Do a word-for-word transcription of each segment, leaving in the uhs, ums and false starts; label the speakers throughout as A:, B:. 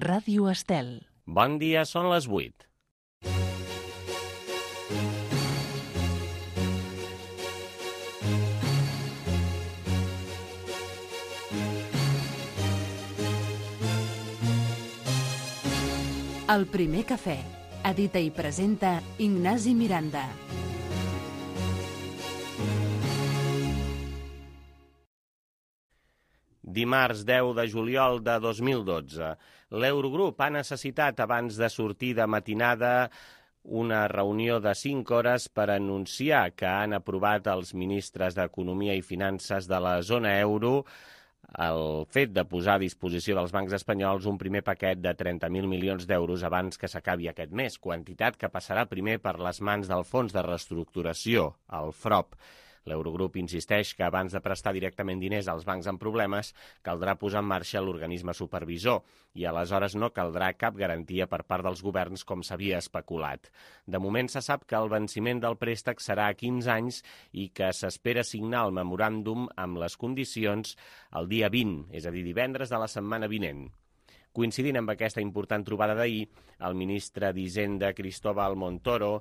A: Ràdio Estel.
B: Bon dia, són les vuit.
A: El primer cafè. Edita i presenta Ignasi Miranda.
B: Dimarts deu de juliol de dos mil dotze. L'Eurogrup ha necessitat, abans de sortir de matinada, una reunió de cinc hores per anunciar que han aprovat els ministres d'Economia i Finances de la zona euro el fet de posar a disposició dels bancs espanyols un primer paquet de trenta mil milions d'euros abans que s'acabi aquest mes, quantitat que passarà primer per les mans del Fons de Reestructuració, el FROP. L'Eurogrup insisteix que abans de prestar directament diners als bancs amb problemes caldrà posar en marxa l'organisme supervisor i aleshores no caldrà cap garantia per part dels governs com s'havia especulat. De moment se sap que el venciment del préstec serà a quinze anys i que s'espera signar el memoràndum amb les condicions el dia vint, és a dir, divendres de la setmana vinent. Coincidint amb aquesta important trobada d'ahir, el ministre d'Hisenda Cristóbal Montoro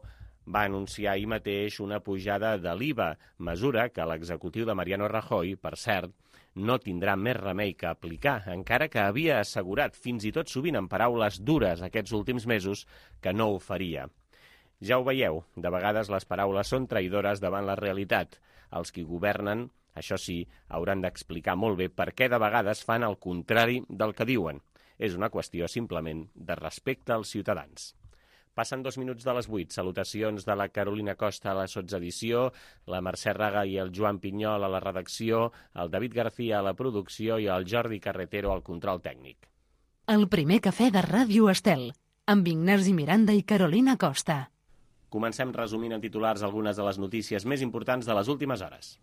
B: va anunciar ahir mateix una pujada de l'I V A, mesura que l'executiu de Mariano Rajoy, per cert, no tindrà més remei que aplicar, encara que havia assegurat, fins i tot sovint en paraules dures aquests últims mesos, que no ho faria. Ja ho veieu, de vegades les paraules són traïdores davant la realitat. Els qui governen, això sí, hauran d'explicar molt bé per què de vegades fan el contrari del que diuen. És una qüestió simplement de respecte als ciutadans. Passen dos minuts de les vuit. Salutacions de la Carolina Costa a la sotsedició, la Mercè Raga i el Joan Pinyol a la redacció, el David García a la producció i el Jordi Carretero al control tècnic.
A: El primer cafè de Ràdio Estel, amb Ignasi Miranda i Carolina Costa.
B: Comencem resumint en titulars algunes de les notícies més importants de les últimes hores.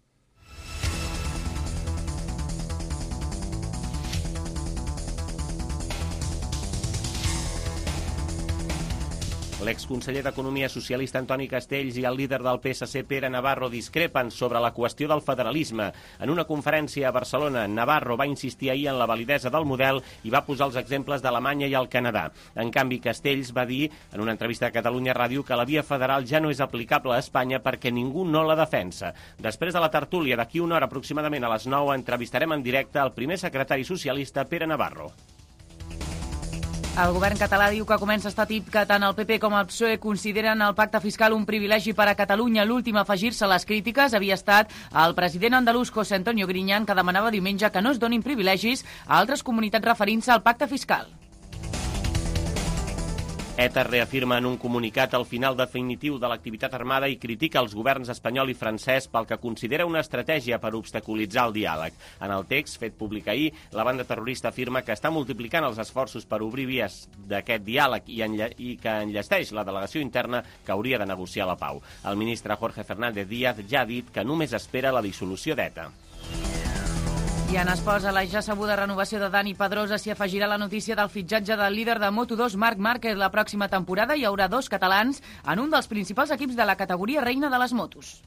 B: L'exconseller d'Economia socialista Antoni Castells i el líder del P S C Pere Navarro discrepen sobre la qüestió del federalisme. En una conferència a Barcelona, Navarro va insistir ahir en la validesa del model i va posar els exemples d'Alemanya i el Canadà. En canvi, Castells va dir en una entrevista a Catalunya Ràdio que la via federal ja no és aplicable a Espanya perquè ningú no la defensa. Després de la tertúlia, d'aquí una hora aproximadament a les nou, entrevistarem en directe el primer secretari socialista Pere Navarro.
C: El govern català diu que comença a estar tip que tant el P P com el P S O E consideren el pacte fiscal un privilegi per a Catalunya. L'últim a afegir-se a les crítiques havia estat el president andalús José Antonio Griñán, que demanava diumenge que no es donin privilegis a altres comunitats referint-se al pacte fiscal.
B: ETA reafirma en un comunicat el final definitiu de l'activitat armada i critica els governs espanyol i francès pel que considera una estratègia per obstaculitzar el diàleg. En el text fet públic ahir, la banda terrorista afirma que està multiplicant els esforços per obrir vies d'aquest diàleg i, enlle i que enllesteix la delegació interna que hauria de negociar la pau. El ministre Jorge Fernández Díaz ja ha dit que només espera la dissolució d'ETA.
C: I en esports, a la ja sabuda renovació de Dani Pedrosa s'hi afegirà la notícia del fitxatge del líder de Moto dos, Marc Márquez. La pròxima temporada hi haurà dos catalans en un dels principals equips de la categoria reina de les motos.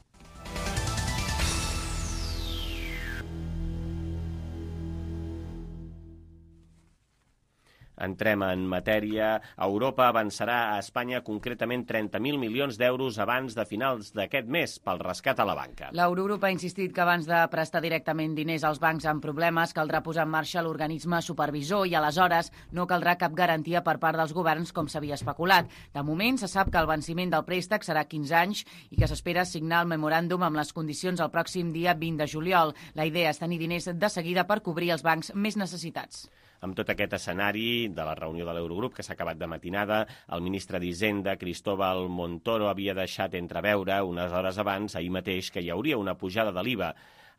B: Entrem en matèria. Europa avançarà a Espanya concretament trenta mil milions d'euros abans de finals d'aquest mes pel rescat a la banca.
C: L'Eurogrup ha insistit que abans de prestar directament diners als bancs amb problemes caldrà posar en marxa l'organisme supervisor i aleshores no caldrà cap garantia per part dels governs com s'havia especulat. De moment se sap que el venciment del préstec serà quinze anys i que s'espera signar el memoràndum amb les condicions el pròxim dia vint de juliol. La idea és tenir diners de seguida per cobrir els bancs més necessitats.
B: Amb tot aquest escenari de la reunió de l'Eurogrup que s'ha acabat de matinada, el ministre d'Hisenda, Cristóbal Montoro, havia deixat entreveure unes hores abans, ahir mateix, que hi hauria una pujada de l'I V A.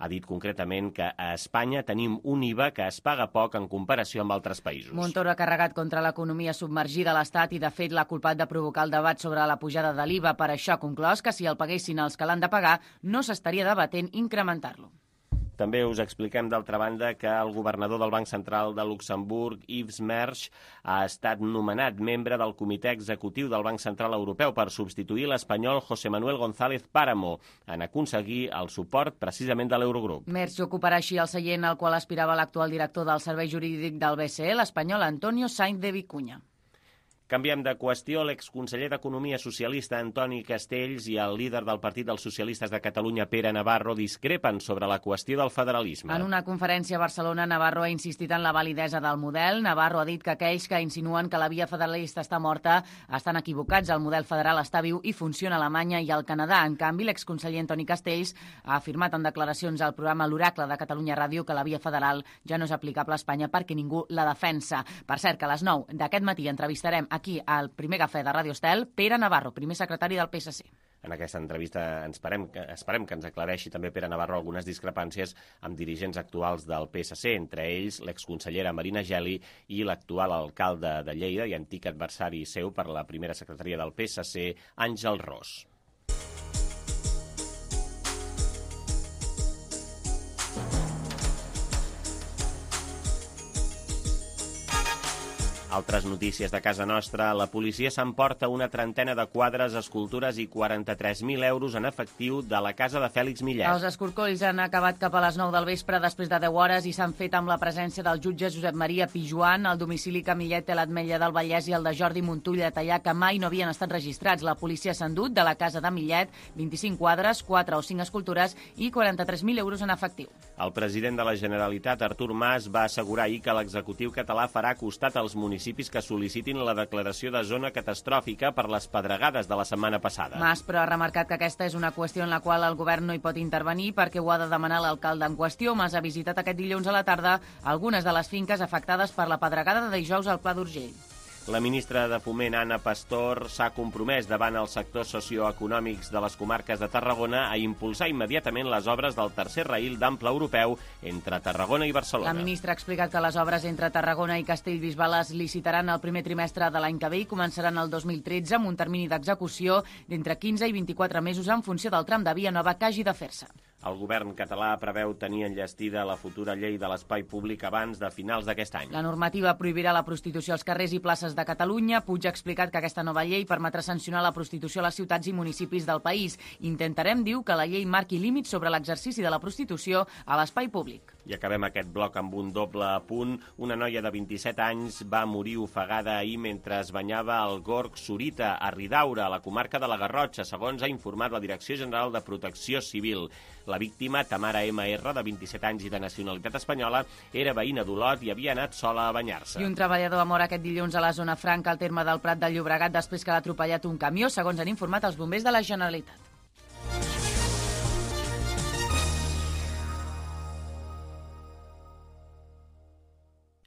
B: Ha dit concretament que a Espanya tenim un I V A que es paga poc en comparació amb altres països.
C: Montoro ha carregat contra l'economia submergida a l'Estat i, de fet, l'ha culpat de provocar el debat sobre la pujada de l'I V A. Per això ha conclòs que si el paguessin els que l'han de pagar, no s'estaria debatent incrementar-lo.
B: També us expliquem, d'altra banda, que el governador del Banc Central de Luxemburg, Yves Mersch, ha estat nomenat membre del Comitè Executiu del Banc Central Europeu per substituir l'espanyol José Manuel González Páramo en aconseguir el suport precisament de l'Eurogrup.
C: Mersch ocuparà així el seient al qual aspirava l'actual director del Servei Jurídic del B C E, l'espanyol Antonio Sainz de Vicuña.
B: Canviem de qüestió. L'exconseller d'Economia socialista Antoni Castells i el líder del Partit dels Socialistes de Catalunya, Pere Navarro, discrepen sobre la qüestió del federalisme.
C: En una conferència a Barcelona, Navarro ha insistit en la validesa del model. Navarro ha dit que aquells que insinuen que la via federalista està morta estan equivocats. El model federal està viu i funciona a Alemanya i al Canadà. En canvi, l'exconseller Antoni Castells ha afirmat en declaracions al programa L'Oracle de Catalunya Ràdio que la via federal ja no és aplicable a Espanya perquè ningú la defensa. Per cert, que a les nou d'aquest matí entrevistarem aquí al primer cafè de Ràdio Estel, Pere Navarro, primer secretari del P S C.
B: En aquesta entrevista ens esperem, esperem que ens aclareixi també Pere Navarro algunes discrepàncies amb dirigents actuals del P S C, entre ells l'exconsellera Marina Geli i l'actual alcalde de Lleida i antic adversari seu per la primera secretaria del P S C, Àngel Ros. Altres notícies de casa nostra. La policia s'emporta una trentena de quadres, escultures i quaranta-tres mil euros en efectiu de la casa de Fèlix Millet.
C: Els escorcolls han acabat cap a les nou del vespre després de deu hores i s'han fet amb la presència del jutge Josep Maria Pijuan, el domicili que Millet té l'Ametlla del Vallès i el de Jordi Montull de Tallà, que mai no havien estat registrats. La policia s'ha endut de la casa de Millet vint-i-cinc quadres, quatre o cinc escultures i quaranta-tres mil euros en efectiu.
B: El president de la Generalitat, Artur Mas, va assegurar ahir que l'executiu català farà costat als municipis que sol·licitin la declaració de zona catastròfica per les pedregades de la setmana passada.
C: Mas, però, ha remarcat que aquesta és una qüestió en la qual el govern no hi pot intervenir perquè ho ha de demanar l'alcalde en qüestió. Mas ha visitat aquest dilluns a la tarda algunes de les finques afectades per la pedregada de dijous al Pla d'Urgell.
B: La ministra de Foment, Anna Pastor, s'ha compromès davant els sectors socioeconòmics de les comarques de Tarragona a impulsar immediatament les obres del tercer raïl d'ample europeu entre Tarragona i Barcelona.
C: La ministra ha explicat que les obres entre Tarragona i Castellbisbal es licitaran el primer trimestre de l'any que ve i començaran el dos mil tretze amb un termini d'execució d'entre quinze i vint-i-quatre mesos en funció del tram de via nova que hagi de fer-se.
B: El govern català preveu tenir enllestida la futura llei de l'espai públic abans de finals d'aquest any.
C: La normativa prohibirà la prostitució als carrers i places de Catalunya. Puig ha explicat que aquesta nova llei permetrà sancionar la prostitució a les ciutats i municipis del país. Intentarem, diu, que la llei marqui límits sobre l'exercici de la prostitució a l'espai públic.
B: I acabem aquest bloc amb un doble apunt. Una noia de vint-i-set anys va morir ofegada ahir mentre es banyava al Gorg Sorita, a Ridaura, a la comarca de la Garrotxa, segons ha informat la Direcció General de Protecció Civil. La víctima, Tamara ema erra, de vint-i-set anys i de nacionalitat espanyola, era veïna d'Olot i havia anat sola a banyar-se.
C: I un treballador va morir aquest dilluns a la zona franca al terme del Prat de Llobregat després que l'ha atropellat un camió, segons han informat els bombers de la Generalitat.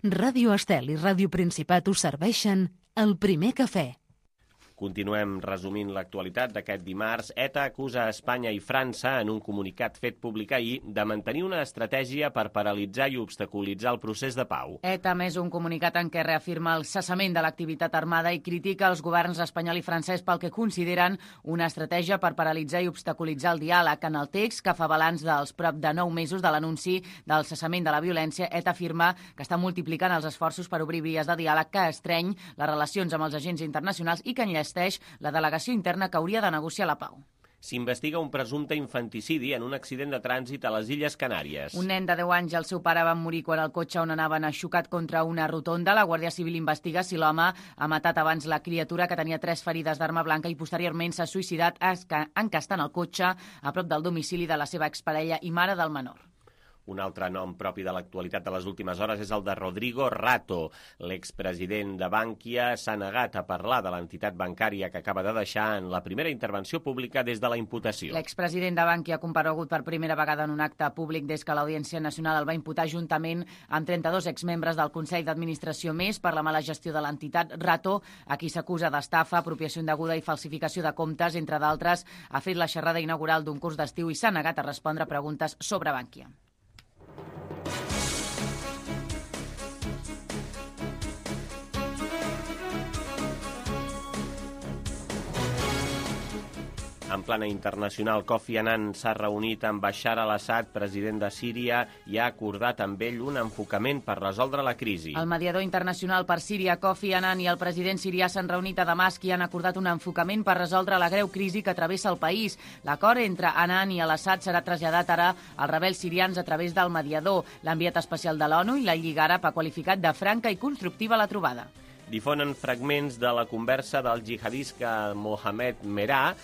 A: Ràdio Estel i Ràdio Principat us serveixen el primer cafè.
B: Continuem resumint l'actualitat d'aquest dimarts. ETA acusa a Espanya i França, en un comunicat fet públic ahir, de mantenir una estratègia per paralitzar i obstaculitzar el procés de pau.
C: ETA ha emès un comunicat en què reafirma el cessament de l'activitat armada i critica els governs espanyol i francès pel que consideren una estratègia per paralitzar i obstaculitzar el diàleg. En el text, que fa balanç dels prop de nou mesos de l'anunci del cessament de la violència, ETA afirma que està multiplicant els esforços per obrir vies de diàleg que estreny les relacions amb els agents internacionals i que enllesteix la delegació interna que hauria de negociar la pau.
B: S'investiga un presumpte infanticidi en un accident de trànsit a les Illes Canàries.
C: Un nen de deu anys i el seu pare van morir quan el cotxe on anaven ha xocat contra una rotonda. La Guàrdia Civil investiga si l'home ha matat abans la criatura, que tenia tres ferides d'arma blanca, i posteriorment s'ha suïcidat encastant el cotxe a prop del domicili de la seva exparella i mare del menor.
B: Un altre nom propi de l'actualitat de les últimes hores és el de Rodrigo Rato. L'expresident de Bankia s'ha negat a parlar de l'entitat bancària que acaba de deixar en la primera intervenció pública des de la imputació.
C: L'expresident de Bankia ha comparegut per primera vegada en un acte públic des que l'Audiència Nacional el va imputar juntament amb trenta-dos exmembres del Consell d'Administració més per la mala gestió de l'entitat. Rato, a qui s'acusa d'estafa, apropiació indeguda i falsificació de comptes, entre d'altres, ha fet la xerrada inaugural d'un curs d'estiu i s'ha negat a respondre preguntes sobre Bankia.
B: En plana internacional, Kofi Annan s'ha reunit amb Bashar al-Assad, president de Síria, i ha acordat amb ell un enfocament per resoldre la crisi.
C: El mediador internacional per Síria, Kofi Annan, i el president sirià s'han reunit a Damasc i han acordat un enfocament per resoldre la greu crisi que travessa el país. L'acord entre Annan i al-Assad serà traslladat ara als rebels sirians a través del mediador. L'enviat especial de l'ONU i la Lliga Àrab ha qualificat de franca i constructiva la trobada.
B: Difonen fragments de la conversa del jihadista Mohamed Merah,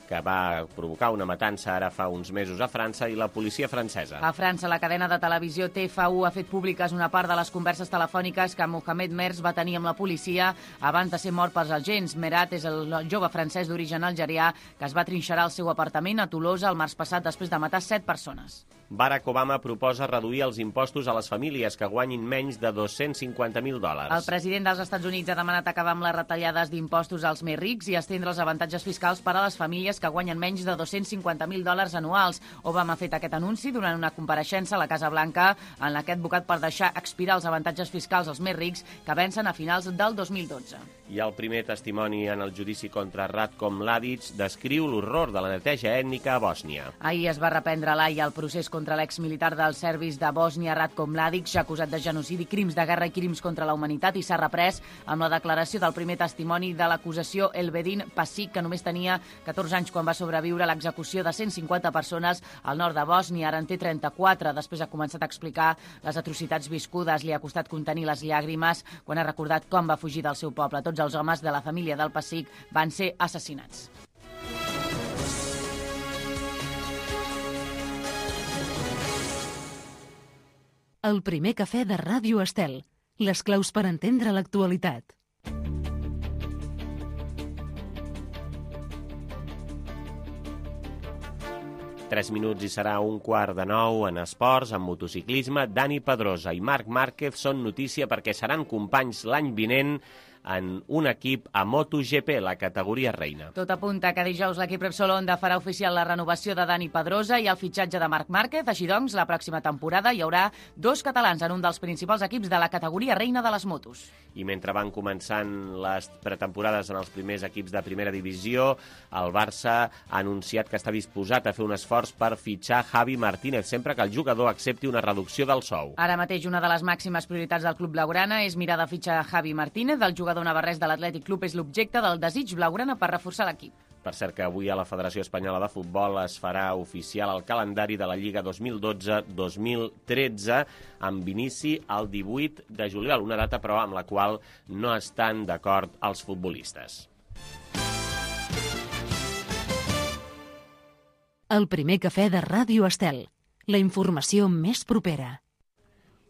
B: que va provocar una matança ara fa uns mesos a França, i la policia francesa.
C: A França, la cadena de televisió T F U ha fet públiques una part de les converses telefòniques que Mohamed Merah va tenir amb la policia abans de ser mort pels agents. Merah és el jove francès d'origen algerià que es va trinxerar al seu apartament a Tolosa el març passat després de matar set persones.
B: Barack Obama proposa reduir els impostos a les famílies que guanyin menys de dos-cents cinquanta mil dòlars.
C: El president dels Estats Units ha demanat acabar amb les retallades d'impostos als més rics i estendre els avantatges fiscals per a les famílies que guanyen menys de dos-cents cinquanta mil dòlars anuals. Obama ha fet aquest anunci durant una compareixença a la Casa Blanca en la que ha advocat per deixar expirar els avantatges fiscals als més rics que vencen a finals del dos mil dotze.
B: I el primer testimoni en el judici contra Ratko Mladic descriu l'horror de la neteja ètnica a Bòsnia.
C: Ahir es va reprendre a l'Haia el procés contra l'exmilitar dels serbis de Bòsnia, Ratko Mladic, acusat de genocidi, crims de guerra i crims contra la humanitat, i s'ha reprès amb la declaració del primer testimoni de l'acusació, Elvedin Pasic, que només tenia catorze anys quan va sobreviure a l'execució de cent cinquanta persones al nord de Bòsnia. Ara en té trenta-quatre. Després ha començat a explicar les atrocitats viscudes. Li ha costat contenir les llàgrimes quan ha recordat com va fugir del seu poble. Tots els homes de la família del Pasic van ser assassinats.
A: El primer cafè de Ràdio Estel. Les claus per entendre l'actualitat.
B: Tres minuts i serà un quart de nou en esports, en motociclisme. Dani Pedrosa i Marc Márquez són notícia perquè seran companys l'any vinent en un equip a MotoGP, la categoria reina.
C: Tot apunta que dijous l'equip Repsol Honda farà oficial la renovació de Dani Pedrosa i el fitxatge de Marc Márquez. Així doncs, la pròxima temporada hi haurà dos catalans en un dels principals equips de la categoria reina de les motos.
B: I mentre van començant les pretemporades en els primers equips de primera divisió, el Barça ha anunciat que està disposat a fer un esforç per fitxar Javi Martínez, sempre que el jugador accepti una reducció del sou.
C: Ara mateix una de les màximes prioritats del club blaugrana és mirar de fitxar Javi Martínez. El jugador navarrès de l'Atlètic Club és l'objecte del desig blaugrana per reforçar l'equip.
B: Per cert que avui a la Federació Espanyola de Futbol es farà oficial el calendari de la Lliga dos mil dotze dos mil tretze amb inici el divuit de juliol, una data però amb la qual no estan d'acord els futbolistes.
A: El primer cafè de Ràdio Estel. La informació més propera.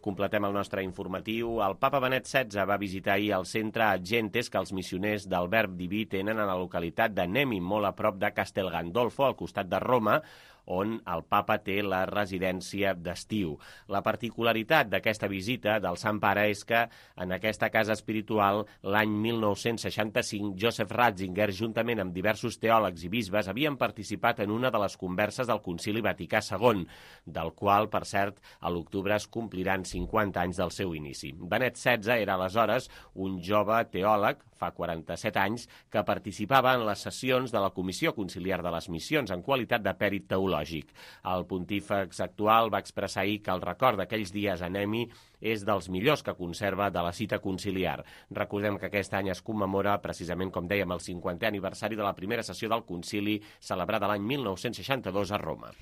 B: Completem el nostre informatiu. El papa Benet setze va visitar ahir el centre Agentes que els missioners del Verb Diví tenen a la localitat de Nemi, molt a prop de Castel Gandolfo, al costat de Roma, on el papa té la residència d'estiu. La particularitat d'aquesta visita del Sant Pare és que en aquesta casa espiritual, l'any mil nou-cents seixanta-cinc, Joseph Ratzinger, juntament amb diversos teòlegs i bisbes, havien participat en una de les converses del Concili Vaticà segon, del qual, per cert, a l'octubre es compliran cinquanta anys del seu inici. Benet setze era aleshores un jove teòleg, fa quaranta-set anys, que participava en les sessions de la Comissió Conciliar de les Missions en qualitat de pèrit teològic. El pontífex actual va expressar ahir que el record d'aquells dies a Nemi és dels millors que conserva de la cita conciliar. Recordem que aquest any es commemora, precisament com dèiem, el cinquantè aniversari de la primera sessió del concili celebrada l'any mil nou-cents seixanta-dos a Roma.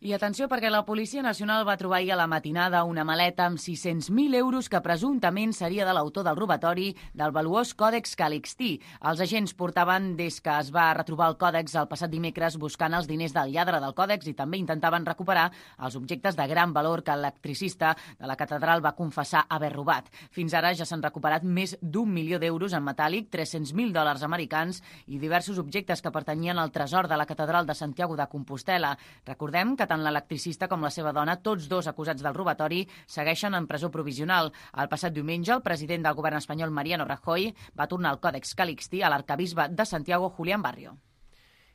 C: I atenció perquè la Policia Nacional va trobar ahir a la matinada una maleta amb sis-cents mil euros que presumptament seria de l'autor del robatori del valuós Còdex Calixtí. Els agents portaven des que es va retrobar el còdex el passat dimecres buscant els diners del lladre del còdex i també intentaven recuperar els objectes de gran valor que l'electricista de la catedral va confessar haver robat. Fins ara ja s'han recuperat més d'un milió d'euros en metàl·lic, tres-cents mil dòlars americans i diversos objectes que pertanyien al tresor de la catedral de Santiago de Compostela. Recordem que tant l'electricista com la seva dona, tots dos acusats del robatori, segueixen en presó provisional. El passat diumenge, el president del govern espanyol, Mariano Rajoy, va tornar el Còdex Calixtí a l'arquebisbe de Santiago, Julián Barrio.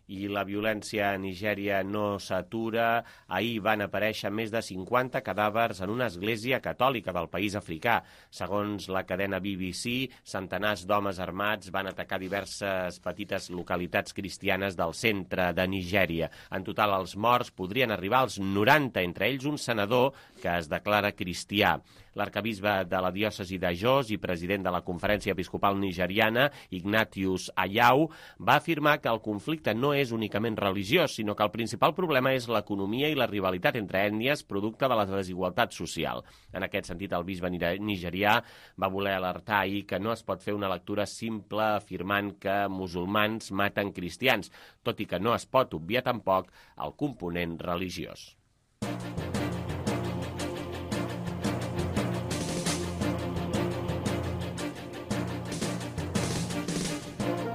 B: I la violència a Nigèria no s'atura. Ahir van aparèixer més de cinquanta cadàvers en una església catòlica del país africà. Segons la cadena B B C, centenars d'homes armats van atacar diverses petites localitats cristianes del centre de Nigèria. En total, els morts podrien arribar als noranta, entre ells un senador que es declara cristià. L'arquebisbe de la diòcesi de Jos i president de la Conferència Episcopal Nigeriana, Ignatius Ayau, va afirmar que el conflicte no és únicament religiós, sinó que el principal problema és l'economia i la rivalitat entre ètnies producte de la desigualtat social. En aquest sentit, el bisbe nigerià va voler alertar ahir que no es pot fer una lectura simple afirmant que musulmans maten cristians, tot i que no es pot obviar tampoc el component religiós.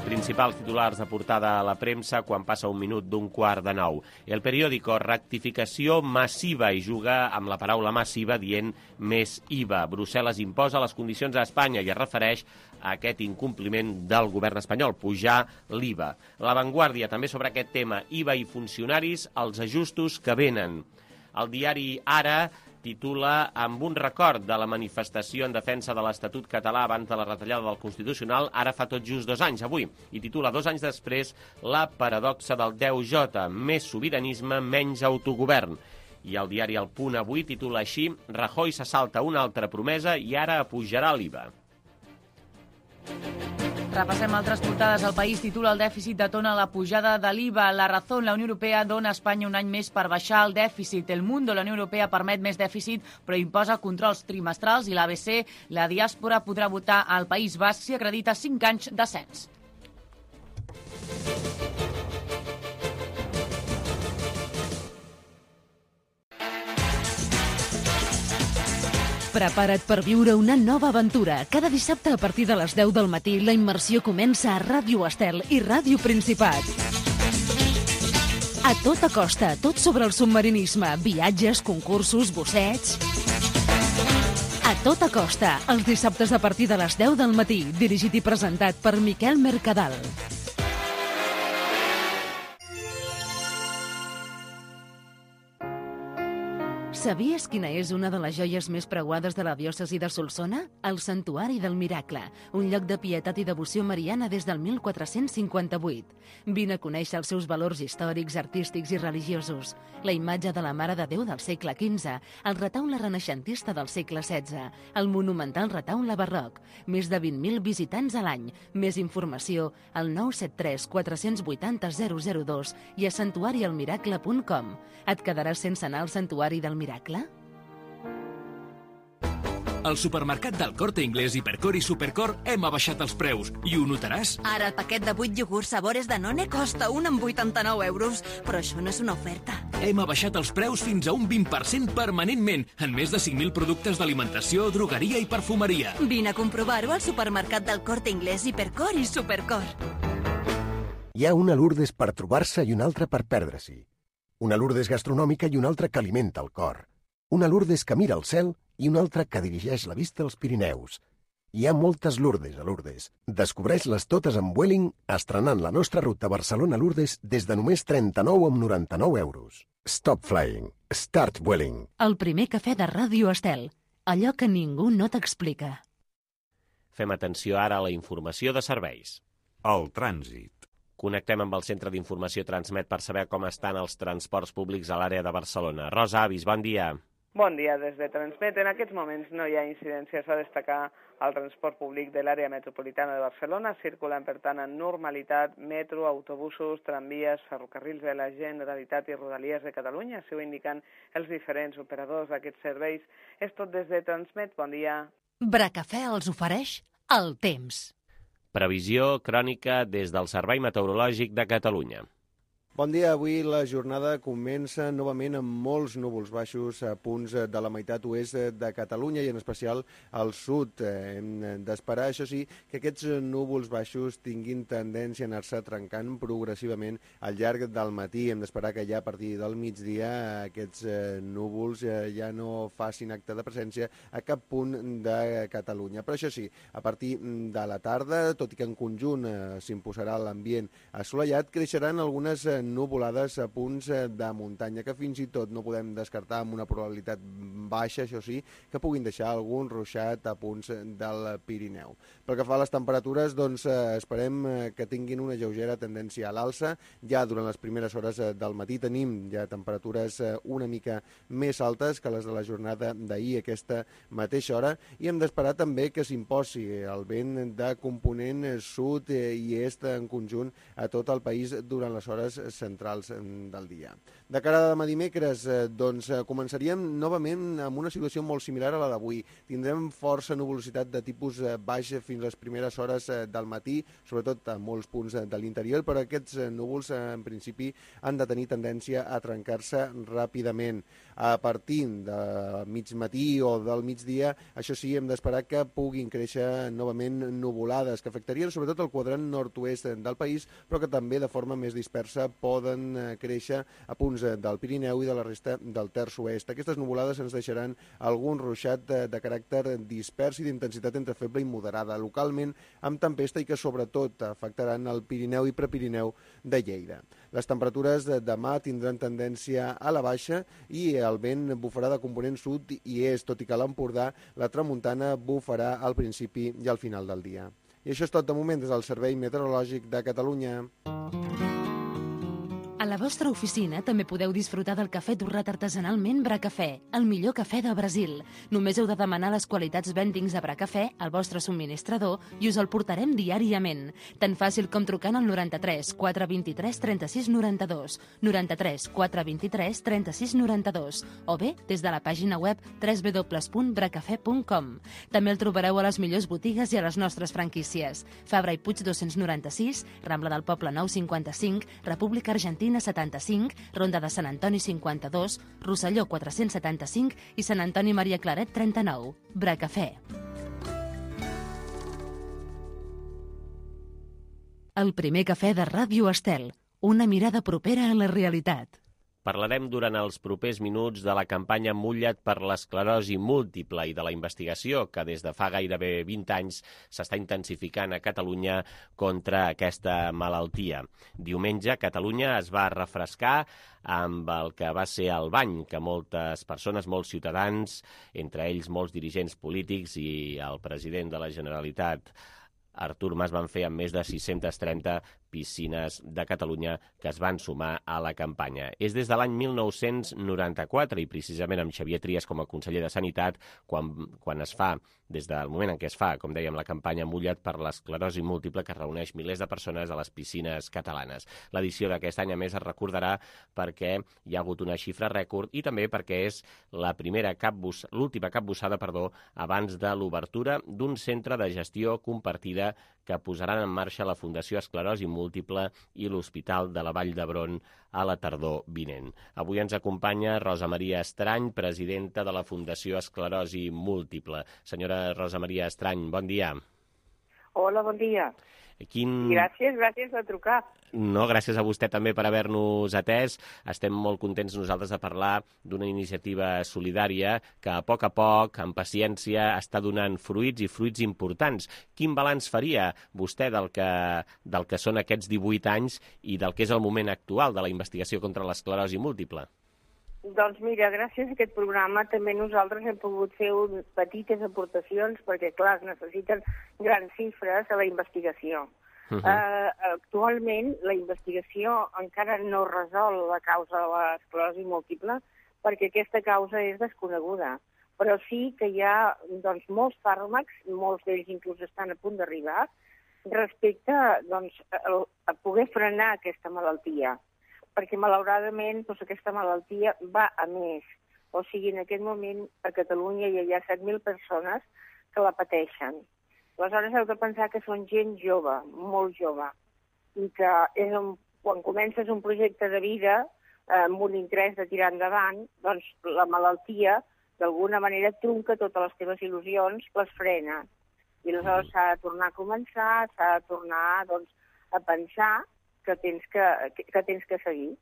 B: Principals titulars de portada a la premsa quan passa un minut d'un quart de nou. El periòdico, rectificació massiva, i juga amb la paraula massiva dient més I V A. Brussel·les imposa les condicions a Espanya i es refereix a aquest incompliment del govern espanyol, pujar l'I V A. La Vanguardia, també sobre aquest tema, I V A i funcionaris, els ajustos que venen. El diari Ara titula amb un record de la manifestació en defensa de l'Estatut català abans de la retallada del Constitucional, ara fa tot just dos anys, avui, i titula dos anys després la paradoxa del deu J, més sobiranisme, menys autogovern. I el diari El Punt avui titula així, Rajoy se salta una altra promesa i ara apujarà l'I V A.
C: Repassem altres portades. El País titula el dèficit detona la pujada de l'I V A. La Razón, la Unió Europea dona a Espanya un any més per baixar el dèficit. El Mundo, la Unió Europea permet més dèficit però imposa controls trimestrals. I l'A B C, la diàspora podrà votar al País Basc si acredita cinc anys de cens.
A: Prepara't per viure una nova aventura. Cada dissabte a partir de les deu del matí la immersió comença a Ràdio Estel i Ràdio Principat. A tota costa, tot sobre el submarinisme, viatges, concursos, bussets... A tota costa, els dissabtes a partir de les deu del matí, dirigit i presentat per Miquel Mercadal. Sabies quina és una de les joies més preuades de la diòcesi de Solsona? El Santuari del Miracle, un lloc de pietat i devoció mariana des del mil quatre-cents cinquanta-vuit. Vine a conèixer els seus valors històrics, artístics i religiosos. La imatge de la Mare de Déu del segle quinze, el retaule renaixentista del segle setze, el monumental retaule barroc, més de vint mil visitants a l'any. Més informació al nou set tres quatre vuit zero zero zero dos i a santuari el miracle punt com. Et quedaràs sense anar al Santuari del Miracle?
D: Al supermercat del Corte Inglés, Hipercor i Supercor hem abaixat els preus i ho notaràs.
E: Ara el paquet de vuit iogurts sabores Danone costa un amb vuitanta-nou euros, però això no és una oferta.
D: Hem abaixat els preus fins a un vint per cent permanentment en més de cinc mil productes d'alimentació, drogueria i perfumeria.
E: Vine a comprovar-ho al supermercat del Corte Inglés, Hipercor i Supercor.
F: Hi ha una Lourdes per trobar-se i una altra per perdre-s'hi. Una Lourdes gastronòmica i una altra que alimenta el cor. Una Lourdes que mira al cel i una altra que dirigeix la vista als Pirineus. Hi ha moltes Lourdes a Lourdes. Descobreix-les totes amb Vueling, estrenant la nostra ruta Barcelona-Lourdes des de només trenta-nou amb noranta-nou euros. Stop flying. Start Vueling.
A: El primer cafè de Ràdio Estel. Allò que ningú no t'explica.
B: Fem atenció ara a la informació de serveis.
G: El trànsit.
B: Connectem amb el Centre d'Informació Transmet per saber com estan els transports públics a l'àrea de Barcelona. Rosa Avis, bon dia.
H: Bon dia, des de Transmet. En aquests moments no hi ha incidències a destacar al transport públic de l'àrea metropolitana de Barcelona. Circulen, per tant, en normalitat metro, autobusos, tramvies, ferrocarrils de la Generalitat i Rodalies de Catalunya. Així ho indiquen els diferents operadors d'aquests serveis. És tot des de Transmet. Bon dia.
A: Bracafè els ofereix el temps.
B: Previsió crònica des del Servei Meteorològic de Catalunya.
G: Bon dia. Avui la jornada comença novament amb molts núvols baixos a punts de la meitat oest de Catalunya i en especial al sud. Hem d'esperar, això sí, que aquests núvols baixos tinguin tendència a anar-se trencant progressivament al llarg del matí. Hem d'esperar que ja a partir del migdia aquests núvols ja no facin acte de presència a cap punt de Catalunya. Però això sí, a partir de la tarda, tot i que en conjunt s'imposarà l'ambient assolellat, creixeran algunes nuvolades a punts de muntanya que fins i tot no podem descartar amb una probabilitat baixa, això sí, que puguin deixar algun ruixat a punts del Pirineu. Pel que fa a les temperatures, doncs esperem que tinguin una lleugera tendència a l'alça. Ja durant les primeres hores del matí tenim ja temperatures una mica més altes que les de la jornada d'ahir a aquesta mateixa hora i hem d'esperar també que s'imposi el vent de component sud i est en conjunt a tot el país durant les hores centrals del dia. De cara a demà dimecres, doncs començaríem novament amb una situació molt similar a la d'avui. Tindrem força nuvolositat de tipus baix fins les primeres hores del matí, sobretot a molts punts de l'interior, però aquests núvols en principi han de tenir tendència a trencar-se ràpidament. A partir de mig matí o del migdia, això sí, hem d'esperar que puguin créixer novament nuvolades, que afectarien sobretot el quadrant nord-oest del país, però que també de forma més dispersa poden créixer a punts del Pirineu i de la resta del terç oest. Aquestes nuvolades ens deixaran algun ruixat de, de caràcter dispers i d'intensitat entre feble i moderada, localment amb tempesta i que sobretot afectaran el Pirineu i Prepirineu de Lleida. Les temperatures de demà tindran tendència a la baixa i el vent bufarà de component sud i est, tot i que a l'Empordà la tramuntana bufarà al principi i al final del dia. I això és tot de moment des del Servei Meteorològic de Catalunya.
A: A la vostra oficina també podeu disfrutar del cafè torrat artesanalment Bracafè, el millor cafè de Brasil. Només heu de demanar les qualitats vendings de Bracafè al vostre subministrador i us el portarem diàriament. Tan fàcil com trucant al noranta-tres quatre vint-i-tres trenta-sis noranta-dos, noranta-tres quatre vint-i-tres trenta-sis noranta-dos o bé des de la pàgina web w w w punt bracafè punt com. També el trobareu a les millors botigues i a les nostres franquícies. Fabra i Puig dos-cents noranta-sis, Rambla del Poble nou cinquanta-cinc, República Argentina setanta-cinc, Ronda de Sant Antoni cinquanta-dos, Rosselló quatre-cents setanta-cinc i Sant Antoni Maria Claret trenta-nou. Bracafè. El primer cafè de Ràdio Estel. Una mirada propera a la realitat.
B: Parlarem durant els propers minuts de la campanya Mulla't per l'esclerosi múltiple i de la investigació que des de fa gairebé vint anys s'està intensificant a Catalunya contra aquesta malaltia. Diumenge, Catalunya es va refrescar amb el que va ser el bany que moltes persones, molts ciutadans, entre ells molts dirigents polítics i el president de la Generalitat, Artur Mas, van fer amb més de sis-centes trenta piscines de Catalunya que es van sumar a la campanya. És des de l'any mil nou-cents noranta-quatre i precisament amb Xavier Trias com a conseller de Sanitat quan, quan es fa, des del moment en què es fa, com dèiem, la campanya Mulla't per l'esclerosi múltiple que reuneix milers de persones a les piscines catalanes. L'edició d'aquest any, a més, es recordarà perquè hi ha hagut una xifra rècord i també perquè és la primera capbus, l'última capbussada, perdó, abans de l'obertura d'un centre de gestió compartida que posaran en marxa la Fundació Esclerosi Múltiple i l'Hospital de la Vall d'Hebron a la tardor vinent. Avui ens acompanya Rosa Maria Estrany, presidenta de la Fundació Esclerosi Múltiple. Senyora Rosa Maria Estrany, bon dia.
I: Hola, bon dia.
B: Quin...
I: Gràcies, gràcies per trucar.
B: No, gràcies a vostè també per haver-nos atès. Estem molt contents nosaltres de parlar d'una iniciativa solidària que a poc a poc, amb paciència, està donant fruits i fruits importants. Quin balanç faria vostè del que, del que són aquests divuit anys i del que és el moment actual de la investigació contra l'esclerosi múltiple?
I: Doncs mira, gràcies a aquest programa també nosaltres hem pogut fer un, petites aportacions perquè, clar, es necessiten grans xifres a la investigació. Uh-huh. uh, actualment, la investigació encara no resol la causa de l'esclerosi múltiple perquè aquesta causa és desconeguda. Però sí que hi ha doncs, molts fàrmacs, molts d'ells inclús estan a punt d'arribar, respecte doncs, a, a poder frenar aquesta malaltia. Perquè, malauradament, doncs, aquesta malaltia va a més. O sigui, en aquest moment, a Catalunya hi ha set mil persones que la pateixen. Aleshores, heu de pensar que són gent jove, molt jove, i que és un quan comences un projecte de vida amb un interès de tirar endavant, doncs la malaltia d'alguna manera trunca totes les teves il·lusions, les frena. I aleshores s'ha de tornar a començar, s'ha de tornar doncs, a pensar que tens que, que, que tens que seguir.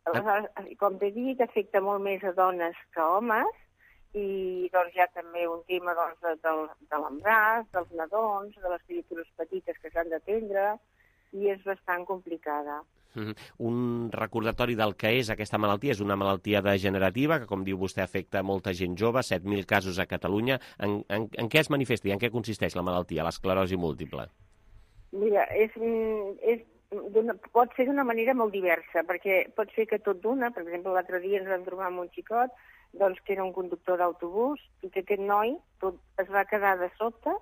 I: Aleshores, com t'he dit, afecta molt més a dones que a homes, i doncs, hi ha també un tema doncs, de, de, de l'embràs, dels nadons, de les criatures petites que s'han d'atendre, i és bastant complicada.
B: Mm-hmm. Un recordatori del que és aquesta malaltia. És una malaltia degenerativa que, com diu vostè, afecta molta gent jove, set mil casos a Catalunya. En, en, en què es manifesta i en què consisteix la malaltia, l'esclerosi múltiple?
I: Mira, és, és pot ser d'una manera molt diversa, perquè pot ser que tot d'una, per exemple, l'altre dia ens vam trobar amb un xicot doncs, que era un conductor d'autobús i que aquest noi tot es va quedar de sobte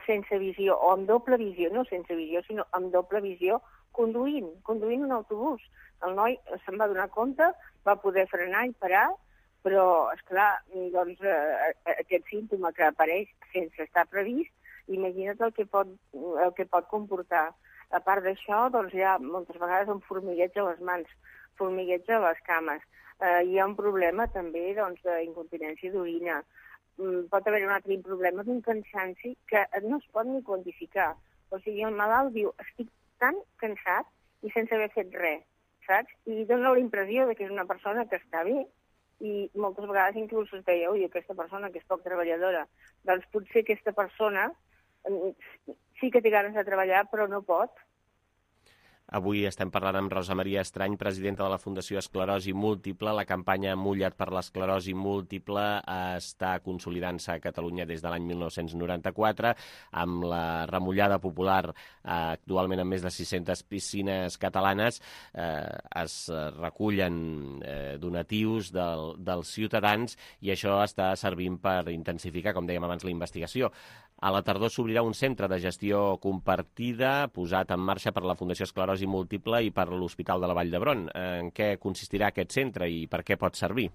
I: sense visió, o amb doble visió, no sense visió, sinó amb doble visió, conduint, conduint un autobús. El noi se'n va donar compte, va poder frenar i parar, però, esclar, doncs, eh, aquest símptoma que apareix sense estar previst, imagina't el que pot, el que pot comportar. A part d'això, doncs, hi ha moltes vegades un formigueig a les mans, formigueig a les cames. Eh, hi ha un problema també doncs, d'incontinència d'orina. Mm, pot haver un altre problema d'un cansanci que no es pot ni quantificar. O sigui, el malalt diu, estic tan cansat i sense haver fet res, saps? I dona la impressió de que és una persona que està bé i moltes vegades inclús es deia, ui, aquesta persona que és poc treballadora. Doncs potser aquesta persona sí que té ganes de treballar, però no pot.
B: Avui estem parlant amb Rosa Maria Estrany, presidenta de la Fundació Esclerosi Múltiple. La campanya Mulla't per l'esclerosi múltiple està consolidant-se a Catalunya des de l'any mil nou-cents noranta-quatre, amb la remullada popular eh, actualment amb més de sis-centes piscines catalanes. Eh, es recullen eh, donatius del, dels ciutadans i això està servint per intensificar, com dèiem abans, la investigació. A la tardor s'obrirà un centre de gestió compartida posat en marxa per la Fundació Esclerosi Múltiple i per l'Hospital de la Vall d'Hebron. En què consistirà aquest centre i per què pot servir?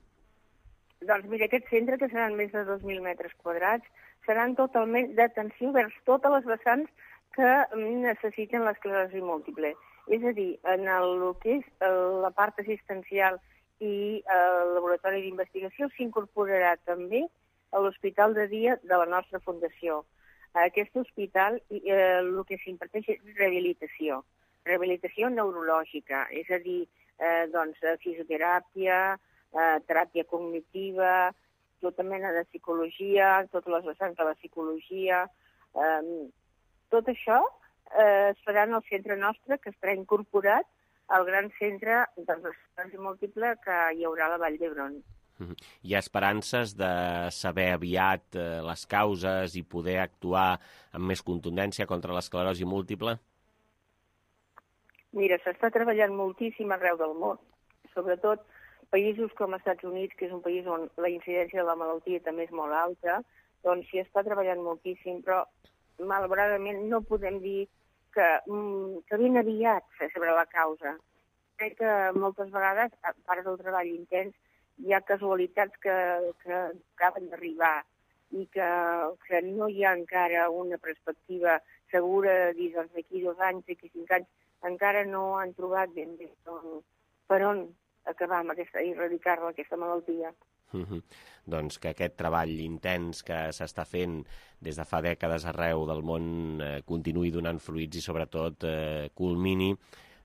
I: Doncs mira, aquest centre, que seran més de dos mil metres quadrats, seran totalment d'atenció vers totes les vessants que necessiten l'esclerosi múltiple. És a dir, en el que és la part assistencial i el laboratori d'investigació s'incorporarà també a l'hospital de dia de la nostra fundació. A aquest hospital eh, el que s'imparteix és rehabilitació, rehabilitació neurològica, és a dir, eh, doncs, fisioteràpia, eh, teràpia cognitiva, tota mena de psicologia, totes les vessants de la psicologia. Eh, tot això eh, es farà en el centre nostre, que estarà incorporat al gran centre de l'esclerosi múltiple que hi haurà a la Vall d'Hebron.
B: Hi ha esperances de saber aviat eh, les causes i poder actuar amb més contundència contra l'esclerosi múltiple?
I: Mira, s'està treballant moltíssim arreu del món, sobretot països com els Estats Units, que és un país on la incidència de la malaltia també és molt alta, doncs s'hi està treballant moltíssim, però malauradament no podem dir que, que ben aviat se sabrà la causa. Crec que moltes vegades, a part del treball intens, hi ha casualitats que, que acaben d'arribar i que, que no hi ha encara una perspectiva segura de dir doncs, d'aquí dos anys, d'aquí cinc anys, encara no han trobat ben bé on, per on acabar amb aquesta, i erradicar-la, aquesta malaltia.
B: Mm-hmm. Doncs que aquest treball intens que s'està fent des de fa dècades arreu del món eh, continuï donant fruits i sobretot eh, culmini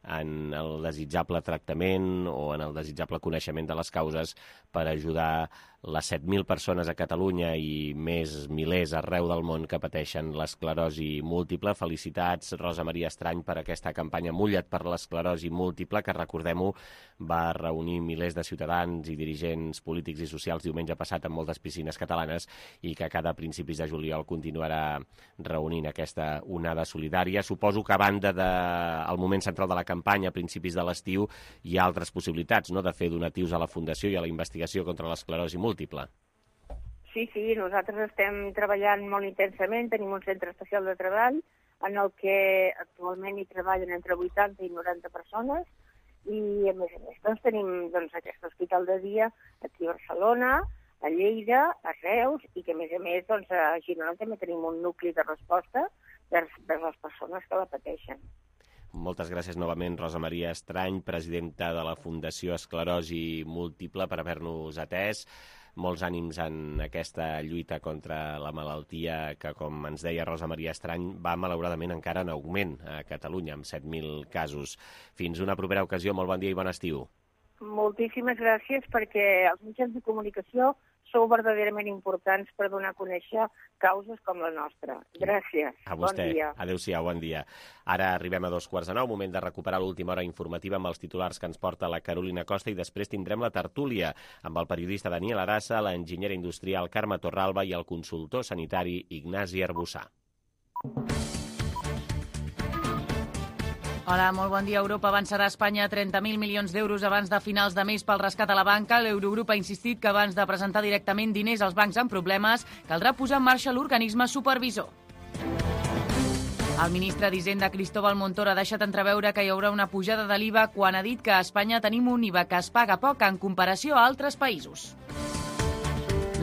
B: en el desitjable tractament o en el desitjable coneixement de les causes per ajudar les set mil persones a Catalunya i més milers arreu del món que pateixen l'esclerosi múltiple. Felicitats, Rosa Maria Estrany, per aquesta campanya Mulla't per l'esclerosi múltiple, que, recordem-ho, va reunir milers de ciutadans i dirigents polítics i socials diumenge passat en moltes piscines catalanes i que cada principis de juliol continuarà reunint aquesta onada solidària. Suposo que a banda del moment central de la campanya, a principis de l'estiu, hi ha altres possibilitats, no?, de fer donatius a la Fundació i a la investigació contra l'esclerosi múltiple.
I: Sí, sí, nosaltres estem treballant molt intensament, tenim un centre especial de treball en el que actualment hi treballen entre vuitanta i noranta persones i, a més a més, doncs, tenim doncs, aquest hospital de dia aquí a Barcelona, a Lleida, a Reus, i que, a més a més, doncs, a Girona també tenim un nucli de resposta vers, vers les persones que la pateixen.
B: Moltes gràcies novament, Rosa Maria Estrany, presidenta de la Fundació Esclerosi Múltiple, per haver-nos atès. Molts ànims en aquesta lluita contra la malaltia que, com ens deia Rosa Maria Estrany, va malauradament encara en augment a Catalunya, amb set mil casos. Fins una propera ocasió, molt bon dia i bon estiu.
I: Moltíssimes gràcies, perquè els mitjans de comunicació sou verdaderament importants per donar a conèixer causes com la nostra. Gràcies.
B: A vostè.
I: Bon dia.
B: Adéu-siau, bon dia. Ara arribem a dos quarts de nou, moment de recuperar l'última hora informativa amb els titulars que ens porta la Carolina Costa, i després tindrem la tertúlia amb el periodista Daniel Arassa, l'enginyera industrial Carme Torralba i el consultor sanitari Ignasi Arbussà.
C: Hola, molt bon dia. Europa avançarà a Espanya trenta mil milions d'euros abans de finals de mes pel rescat a la banca. L'Eurogrup ha insistit que abans de presentar directament diners als bancs amb problemes, caldrà posar en marxa l'organisme supervisor. El ministre d'Hisenda, Cristóbal Montoro, ha deixat entreveure que hi haurà una pujada de l'I V A quan ha dit que a Espanya tenim un I V A que es paga poc en comparació a altres països.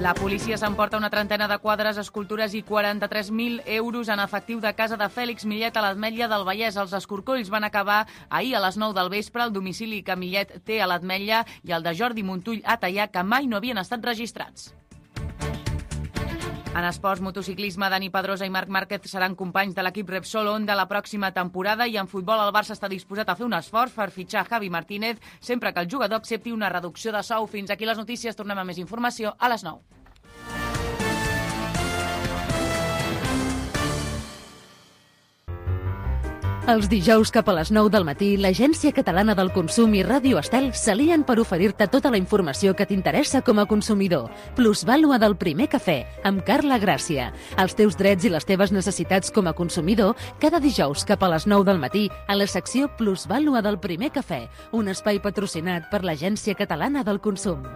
C: La policia s'emporta una trentena de quadres, escultures i quaranta-tres mil euros en efectiu de casa de Fèlix Millet a l'Ametlla del Vallès. Els escorcolls van acabar ahir a les nou del vespre al domicili que Millet té a l'Ametlla i el de Jordi Montull a Teià, que mai no havien estat registrats. En esports, motociclisme, Dani Pedrosa i Marc Márquez seran companys de l'equip Repsol Honda la pròxima temporada, i en futbol el Barça està disposat a fer un esforç per fitxar Javi Martínez sempre que el jugador accepti una reducció de sou. Fins aquí les notícies, tornem a més informació a les nou.
A: Els dijous cap a les nou del matí, l'Agència Catalana del Consum i Ràdio Estel s'alien per oferir-te tota la informació que t'interessa com a consumidor. Plusvàlua del primer cafè, amb Carla Gràcia. Els teus drets i les teves necessitats com a consumidor, cada dijous cap a les nou del matí, a la secció Plusvàlua del primer cafè, un espai patrocinat per l'Agència Catalana del Consum.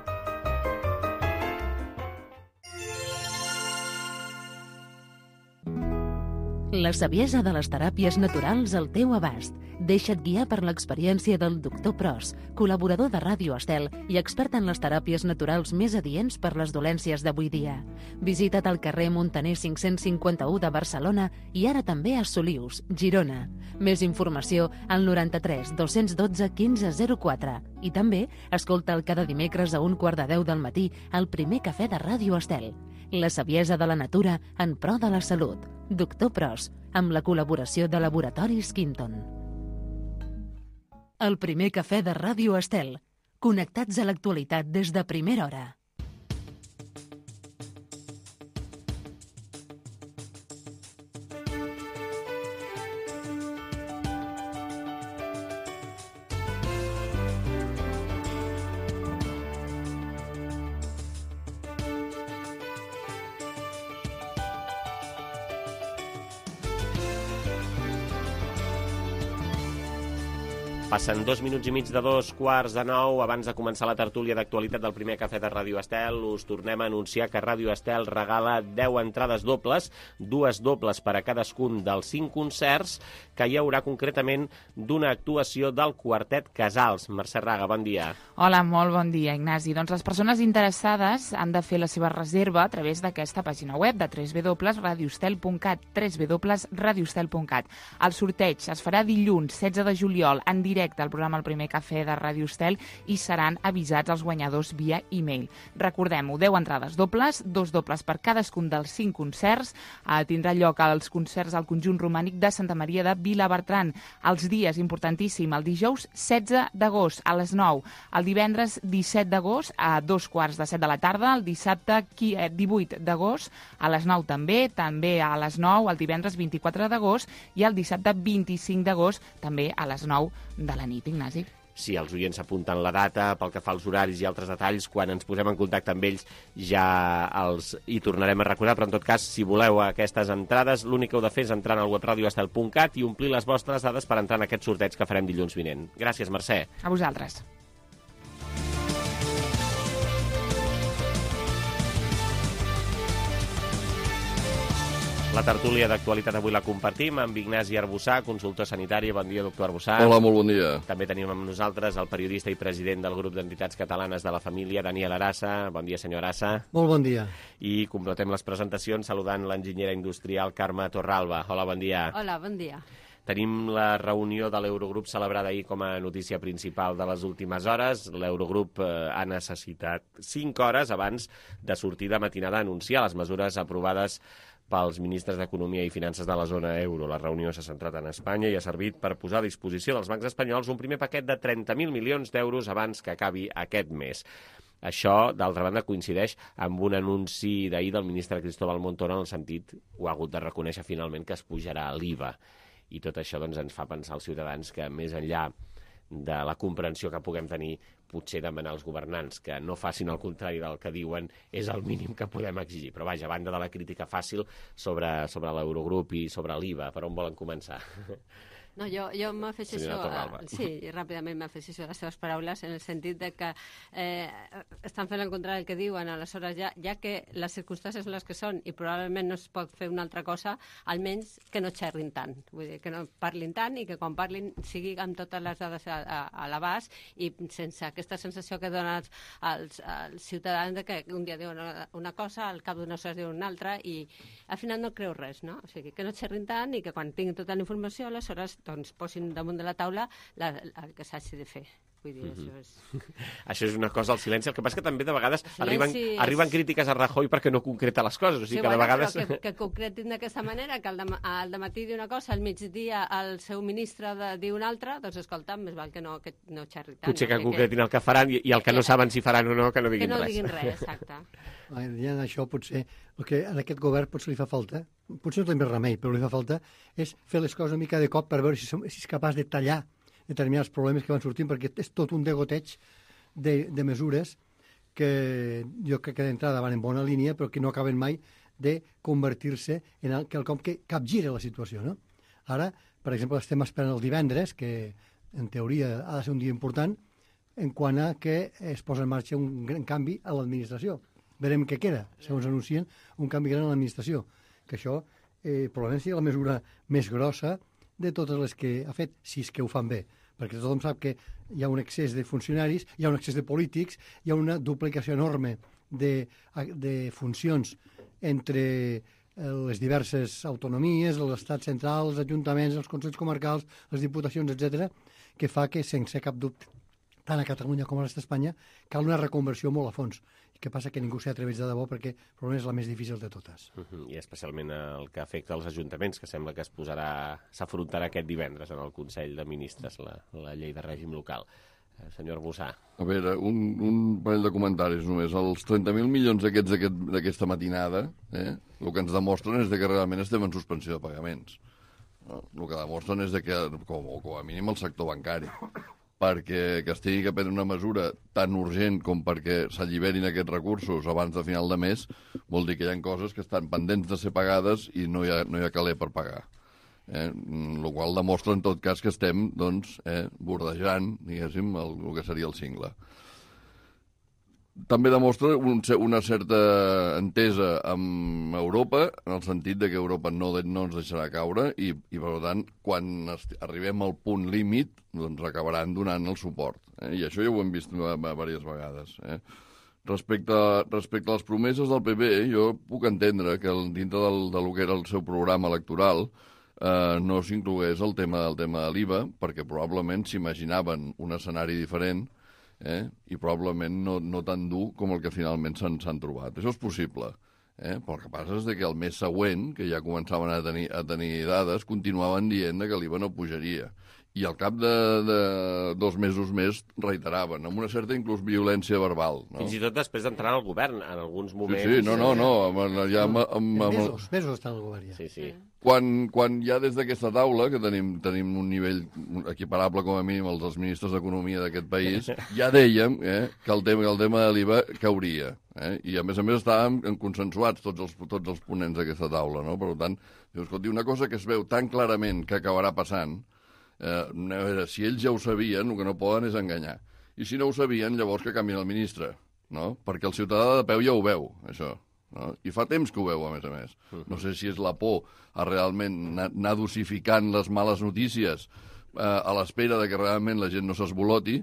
A: La saviesa de les teràpies naturals al teu abast. Deixa't guiar per l'experiència del doctor Pros, col·laborador de Ràdio Estel i expert en les teràpies naturals més adients per les dolències d'avui dia. Visita't al carrer Montaner cinc-cents cinquanta-u de Barcelona i ara també a Solius, Girona. Més informació al noranta-tres dos-cents dotze quinze zero quatre. I també escolta'l cada dimecres a un quart de deu del matí al primer cafè de Ràdio Estel. La saviesa de la natura en pro de la salut. Doctor Pros, amb la col·laboració de Laboratoris Quinton. El primer cafè de Ràdio Estel. Connectats a l'actualitat des de primera hora.
B: Passen dos minuts i mig de dos quarts de nou. Abans de començar la tertúlia d'actualitat del primer cafè de Ràdio Estel, us tornem a anunciar que Ràdio Estel regala deu entrades dobles, dues dobles per a cadascun dels cinc concerts que hi haurà concretament d'una actuació del Quartet Casals. Mercè Raga, bon dia.
J: Hola, molt bon dia, Ignasi. Doncs les persones interessades han de fer la seva reserva a través d'aquesta pàgina web de w w w punt radio estel punt cat, w w w punt radio estel punt cat. El sorteig es farà dilluns setze de juliol en directe al programa El Primer Cafè de Ràdio Estel i seran avisats els guanyadors via e-mail. Recordem-ho, deu entrades dobles, dos dobles per cadascun dels cinc concerts. Eh, tindrà lloc als concerts al Conjunt Romànic de Santa Maria de Vilabertran. Els dies, importantíssim, el dijous setze d'agost a les nou, el divendres disset d'agost a dos quarts de set de la tarda, el dissabte divuit d'agost a les nou també, també a les nou, el divendres vint-i-quatre d'agost i el dissabte vint-i-cinc d'agost també a les nou de la nit, Ignasi.
B: Si els oients apunten la data, pel que fa als horaris i altres detalls, quan ens posem en contacte amb ells ja els hi tornarem a recordar, però en tot cas, si voleu aquestes entrades, l'únic que heu de fer és entrar al web radio estel punt cat i omplir les vostres dades per entrar en aquest sorteig que farem dilluns vinent. Gràcies, Mercè.
J: A vosaltres.
B: La tertúlia d'actualitat avui la compartim amb Ignasi Arbussà, consultor sanitari. Bon dia, doctor Arbussà.
K: Hola, molt bon dia.
B: També tenim amb nosaltres el periodista i president del grup d'entitats catalanes de la família, Daniel Arassa. Bon dia, senyor Arassa.
L: Molt bon dia.
B: I completem les presentacions saludant l'enginyera industrial Carme Torralba. Hola, bon dia.
M: Hola, bon dia.
B: Tenim la reunió de l'Eurogrup celebrada ahir com a notícia principal de les últimes hores. L'Eurogrup eh, ha necessitat cinc hores abans de sortir de matinada a anunciar les mesures aprovades pels ministres d'Economia i Finances de la zona euro. La reunió s'ha centrat en Espanya i ha servit per posar a disposició dels bancs espanyols un primer paquet de trenta mil milions d'euros abans que acabi aquest mes. Això, d'altra banda, coincideix amb un anunci d'ahir del ministre Cristóbal Montoro en el sentit, ho ha hagut de reconèixer finalment, que es pujarà l'I V A. I tot això doncs, ens fa pensar als ciutadans que més enllà de la comprensió que puguem tenir, potser demanar als governants que no facin el contrari del que diuen és el mínim que podem exigir. Però vaja, a banda de la crítica fàcil sobre, sobre l'Eurogrup i sobre l'I V A, per on volen començar?
K: No, jo, jo m'afegeixo, sí, ràpidament m'afegeixo a les seves paraules en el sentit de que eh, estan fent el contrari del que diuen, aleshores ja, ja que les circumstàncies són les que són i probablement no es pot fer una altra cosa, almenys que no xerrin tant, vull dir, que no parlin tant i que quan parlin sigui amb totes les dades a, a, a l'abast i sense aquesta sensació que donen als, als, als ciutadans de que un dia diuen una, una cosa, al cap d'unes hores diuen una altra i al final no creu res, no? O sigui, que no xerrin tant i que quan tinguin tota la informació, aleshores doncs posin damunt de la taula la, el que s'hagi de fer. Vull dir, mm-hmm. això és...
B: Això és una cosa, el silenci. El que passa que també de vegades arriben, és... arriben crítiques a Rajoy perquè no concreta les coses. O sigui,
K: sí,
B: que
K: bueno,
B: de vegades...
K: que, que concretin d'aquesta manera, que al, de, al dematí diu una cosa, al migdia el seu ministre de, diu una altra, doncs escolta, més val que no, que no xerri tant.
B: Potser que
K: no?
B: concretin
K: que,
B: el que faran i, i el que, que no saben si faran o no, que no diguin res.
K: Que no diguin res, exacte.
L: Ja en això potser, el que en aquest govern potser li fa falta, potser no té més remei, però li fa falta, és fer les coses una mica de cop per veure si, som, si és capaç de tallar determinats problemes que van sortint, perquè és tot un degoteig de, de mesures que jo crec que d'entrada van en bona línia, però que no acaben mai de convertir-se en el, quelcom que capgira la situació, no? Ara, per exemple, estem esperant el divendres, que en teoria ha de ser un dia important, en quant a que es posa en marxa un gran canvi a l'administració. Verem què queda, segons anuncien, un canvi gran a l'administració, que això eh, probablement sigui la mesura més grossa de totes les que ha fet, si és que ho fan bé. Perquè tothom sap que hi ha un excés de funcionaris, hi ha un excés de polítics, hi ha una duplicació enorme de, de funcions entre les diverses autonomies, l'estat central, els ajuntaments, els consells comarcals, les diputacions, etcètera, que fa que, sense cap dubte, tant a Catalunya com a l'est d'Espanya, cal una reconversió molt a fons. El que passa que ningú s'hi atreveix de debò perquè probablement és la més difícil de totes.
B: Uh-huh. I especialment el que afecta als ajuntaments, que sembla que es posarà, s'afrontarà aquest divendres en el Consell de Ministres, la, la llei de règim local. Eh, senyor Bussà.
M: A veure, un, un parell de comentaris només. Els trenta mil milions aquests d'aquesta aquest, matinada, eh, el que ens demostren és de que realment estem en suspensió de pagaments. No? El que demostren és de que, com, com a mínim, el sector bancari, perquè que es tingui que prendre una mesura tan urgent com perquè s'alliberin aquests recursos abans de final de mes, vol dir que hi ha coses que estan pendents de ser pagades i no hi ha, no hi ha caler per pagar. Eh? El qual demostra, en tot cas, que estem doncs, eh, bordejant, diguéssim, el, el que seria el cingle. També demostra un, una certa entesa amb Europa, en el sentit de que Europa no, no ens deixarà caure i, i per tant, quan arribem al punt límit, doncs acabaran donant el suport. Eh? I això ja ho hem vist diverses vegades. Eh? Respecte, respecte a les promeses del P P, jo puc entendre que dintre del, del que era el seu programa electoral eh, no s'inclogués el tema del tema de l'I V A, perquè probablement s'imaginaven un escenari diferent, Eh? i probablement no, no tan dur com el que finalment s'han trobat. Això és possible. Eh? Però el que passa és que el mes següent, que ja començaven a tenir, a tenir dades, continuaven dient que l'I V A no pujaria. I al cap de, de dos mesos més reiteraven, amb una certa inclús violència verbal. No?
B: Fins i tot després d'entrar al govern, en alguns moments...
M: Sí, sí, no, no, no. Amb, ja amb, amb, amb...
L: Mesos, mesos estan al govern ja.
B: Sí, sí.
M: Quan, quan ja des d'aquesta taula, que tenim, tenim un nivell equiparable com a mínim als dels ministres d'Economia d'aquest país, ja dèiem eh, que el tema, el tema de l'I V A cauria. Eh? I a més a més estàvem consensuats tots els, tots els ponents d'aquesta taula. No? Per tant, escolti, una cosa que es veu tan clarament que acabarà passant, eh, a veure, si ells ja ho sabien, el que no poden és enganyar. I si no ho sabien, llavors que canvien el ministre. No? Perquè el ciutadà de peu ja ho veu, això. No? I fa temps que ho veu, a més a més. No sé si és la por a realment anar dosificant les males notícies eh, a l'espera de que realment la gent no s'esboloti,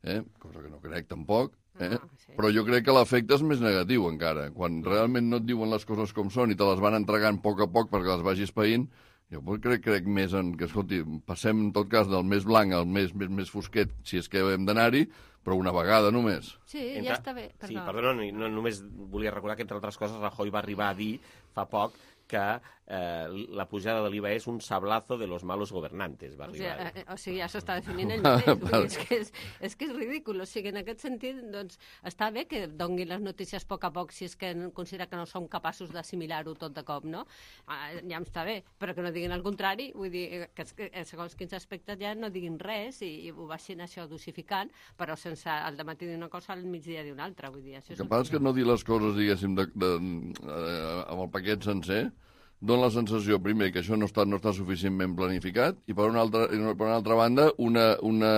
M: eh? cosa que no crec tampoc, eh? Ah, sí. Però jo crec que l'efecte és més negatiu encara. Quan realment no et diuen les coses com són i te les van entregant a poc a poc perquè les vagis païnt, Jo crec, crec més en que, escolti, passem en tot cas del més blanc al més, més, més fosquet, si és que hem d'anar-hi, però una vegada només.
K: Sí,
B: Entre...
K: ja està bé. Perdó.
B: Sí, perdó, no, no, només volia recordar que, entre altres coses, Rajoy va arribar a dir fa poc que eh, la pujada de l'I V A és un sablazo de los malos gobernantes. Va
K: o, sigui,
B: arribar.
K: eh, o sigui, ja s'està definint ell mateix. és, que és, és que és ridícul. O sigui, en aquest sentit, doncs, està bé que doni les notícies a poc a poc si és que considera que no som capaços d'assimilar-ho tot de cop, no? Ah, ja em està bé, però que no diguin el contrari, vull dir, que, que segons quins aspectes ja no diguin res i, i ho vagin això dosificant, però sense al dematí dir una cosa al migdia dir una altra. Vull dir, això és
M: el que passa és que no dir les coses, diguéssim, de, de, de, amb el paquet sencer, dona la sensació, primer, que això no està, no està suficientment planificat, i per una altra, per una altra banda, una, una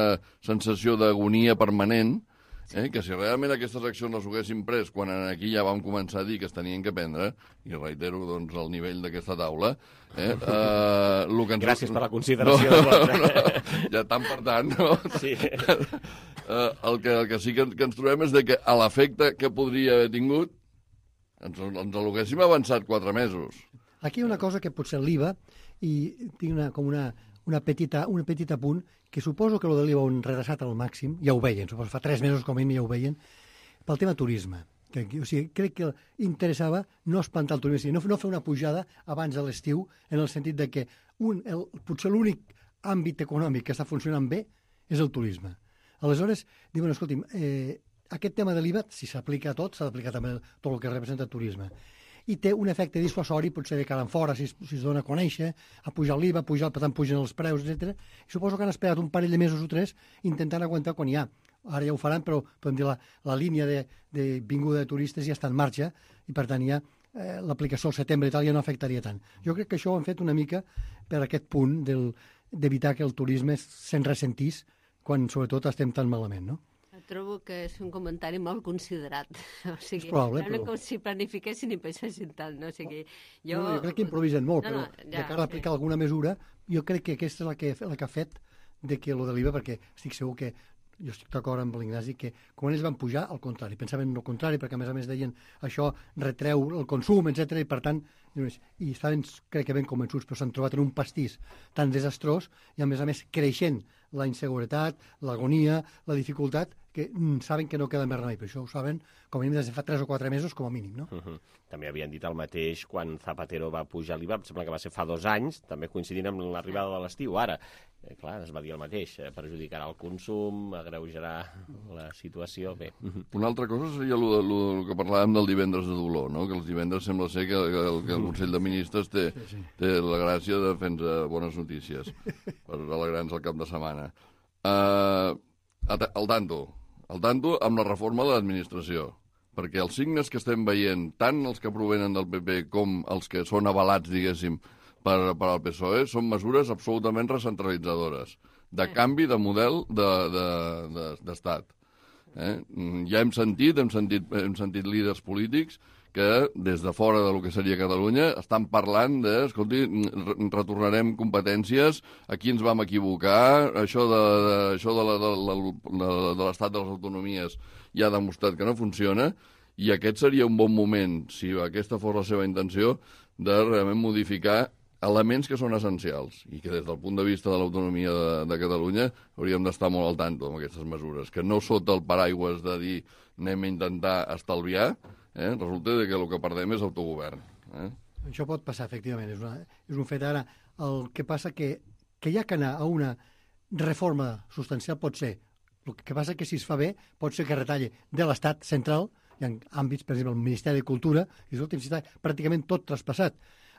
M: sensació d'agonia permanent, eh, que si realment aquestes accions les haguéssim pres quan aquí ja vam començar a dir que es tenien que prendre, i reitero doncs, el nivell d'aquesta taula... Eh, eh, lo que ens...
B: Gràcies per la consideració.
M: No, no, no, ja tant per tant, no?
B: Sí.
M: Eh, el, que, el que sí que, que ens trobem és de que a l'efecte que podria haver tingut ens, ens l'haguéssim avançat quatre mesos.
L: Aquí hi ha una cosa que pot ser l'I V A, i tinc una, com una, una, petita, una petita punt, que suposo que el de l'I V A ho han redreçat al màxim, ja ho veien, suposo fa tres mesos com a mínim ja ho veien, pel tema turisme. Que, o sigui, crec que interessava no espantar el turisme, no, no fer una pujada abans de l'estiu, en el sentit de que un, el, potser l'únic àmbit econòmic que està funcionant bé és el turisme. Aleshores, diuen, escolti'm, eh, aquest tema de l'I V A, si s'aplica a tot, s'ha d'aplicar també tot el que representa el turisme. I té un efecte dissuasori, potser de cara en fora, si es, si es dona a conèixer, a pujar l'I V A, a pujar, per tant, pugen els preus, etcètera. I suposo que han esperat un parell de mesos o tres intentant aguantar quan hi ha. Ara ja ho faran, però podem dir la, la línia de, de vinguda de turistes ja està en marxa i, per tant, ja eh, l'aplicació al setembre i tal ja no afectaria tant. Jo crec que això ho han fet una mica per aquest punt d'evitar que el turisme se'n ressentís quan, sobretot, estem tan malament, no?
K: Trobo que és un comentari molt considerat. O sigui,
L: és probable,
K: però... com si planifiquessin i pensessin tal, no? O sigui, jo...
L: No, jo crec que improvisen molt,
K: no, no,
L: però
K: ja,
L: de cara a aplicar sí. alguna mesura, jo crec que aquesta és la que, la que ha fet de que lo de l'I V A, perquè estic segur que jo estic d'acord amb l'Ignasi que quan ells van pujar, al contrari, pensaven el contrari, perquè a més a més deien això retreu el consum, etcètera, i per tant, i estaven, crec que ben convençuts, però s'han trobat en un pastís tan desastrós i a més a més creixent la inseguretat, l'agonia, la dificultat, que mm, saben que no queda més remei, però això ho saben com a mínim des de fa tres o quatre mesos, com a mínim, no?
B: Uh -huh. També havien dit el mateix quan Zapatero va pujar l'I V A, em sembla que va ser fa dos anys, també coincidint amb l'arribada de l'estiu. Ara, eh, clar, es va dir el mateix, eh, perjudicarà el consum, agreujarà la situació, bé.
M: Una altra cosa seria el que parlàvem del divendres de dolor, no? Que els divendres sembla ser que, que, el, que el Consell de Ministres té, sí, sí. té la gràcia de fer-nos bones notícies per alegrar-nos el cap de setmana. Uh, al tanto, al tanto amb la reforma de l'administració, perquè els signes que estem veient, tant els que provenen del P P com els que són avalats, diguéssim, per, per al P S O E, són mesures absolutament recentralitzadores, de canvi de model d'estat. De, de, eh? Ja hem sentit, hem sentit, hem sentit líders polítics que des de fora del que seria Catalunya estan parlant de, escolti, retornarem competències, aquí ens vam equivocar, això de, de, això de, la, de, de, de l'estat de les autonomies ja ha demostrat que no funciona, i aquest seria un bon moment, si aquesta fos la seva intenció, de realment modificar elements que són essencials i que des del punt de vista de l'autonomia de, de Catalunya hauríem d'estar molt al tanto amb aquestes mesures, que no sota el paraigües de dir anem a intentar estalviar, eh, resulta que el que perdem és autogovern. Eh?
L: Això pot passar, efectivament, és, una, és un fet. Ara, el que passa que, que hi ha que anar a una reforma substancial pot ser, el que passa que si es fa bé pot ser que retalle de l'estat central, hi ha àmbits, per exemple, el Ministeri de Cultura, i escolta, si està pràcticament tot traspassat.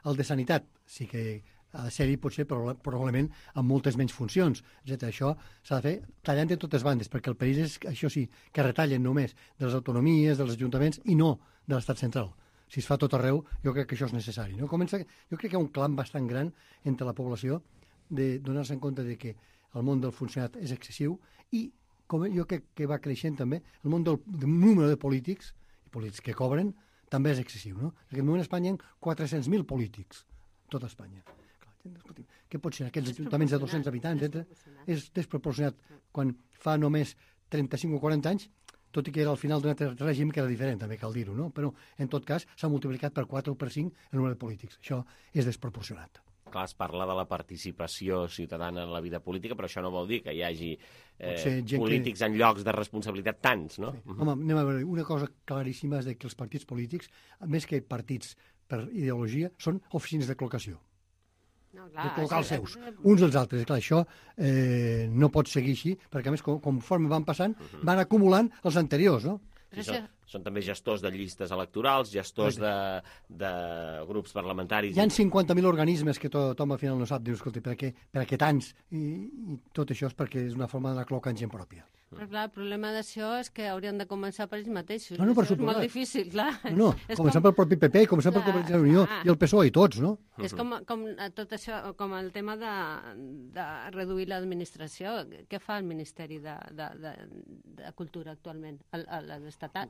L: El de Sanitat sí que ha de ser-hi, potser, probablement, amb moltes menys funcions, etcètera. Això s'ha de fer tallant de totes bandes, perquè el país és, això sí, que retallen només de les autonomies, dels ajuntaments, i no de l'estat central. Si es fa tot arreu, jo crec que això és necessari. No? Comença, jo crec que hi ha un clam bastant gran entre la població de donar-se en compte de que el món del funcionat és excessiu i, com jo crec que va creixent també, el món del, del número de polítics, i polítics que cobren, també és excessiu, no? En aquest moment a Espanya hi ha quatre-cents mil polítics, tota Espanya. Què pot ser? Aquests ajuntaments de dos-cents habitants, etcètera És desproporcionat. Quan fa només trenta-cinc o quaranta anys, tot i que era al final d'un altre règim que era diferent, també cal dir-ho, no? Però, en tot cas, s'ha multiplicat per quatre o per cinc el número de polítics. Això és desproporcionat.
B: Clar, es parla de la participació ciutadana en la vida política, però això no vol dir que hi hagi eh, polítics que... en llocs de responsabilitat tants, no?
L: Sí. Home, anem a veure, una cosa claríssima és que els partits polítics, més que partits per ideologia, són oficines de col·locació. No, clar, de col·locar els seus, uns dels altres. Clar, això eh, no pot seguir així, perquè a més, com, conforme van passant, uh -huh. van acumulant els anteriors, no?
B: Sí, són, són també gestors de llistes electorals, gestors de, de grups parlamentaris.
L: Hi ha cinquanta mil organismes que tothom al final no sap, dius, escolta, per què, per què tants? I, I tot això és perquè és una forma d'anar col·locant gent pròpia.
K: Però clar, el problema d'això és que haurien de començar per ells mateixos.
L: No, no, per
K: això
L: suposat.
K: És molt difícil, clar.
L: No, no començant com... pel propi P P, començant pel Convergència i Unió i el P S O E i tots, no?
K: És com, com tot això, com el tema de, de reduir l'administració. Què fa el Ministeri de, de, de, de Cultura actualment, l'estatal?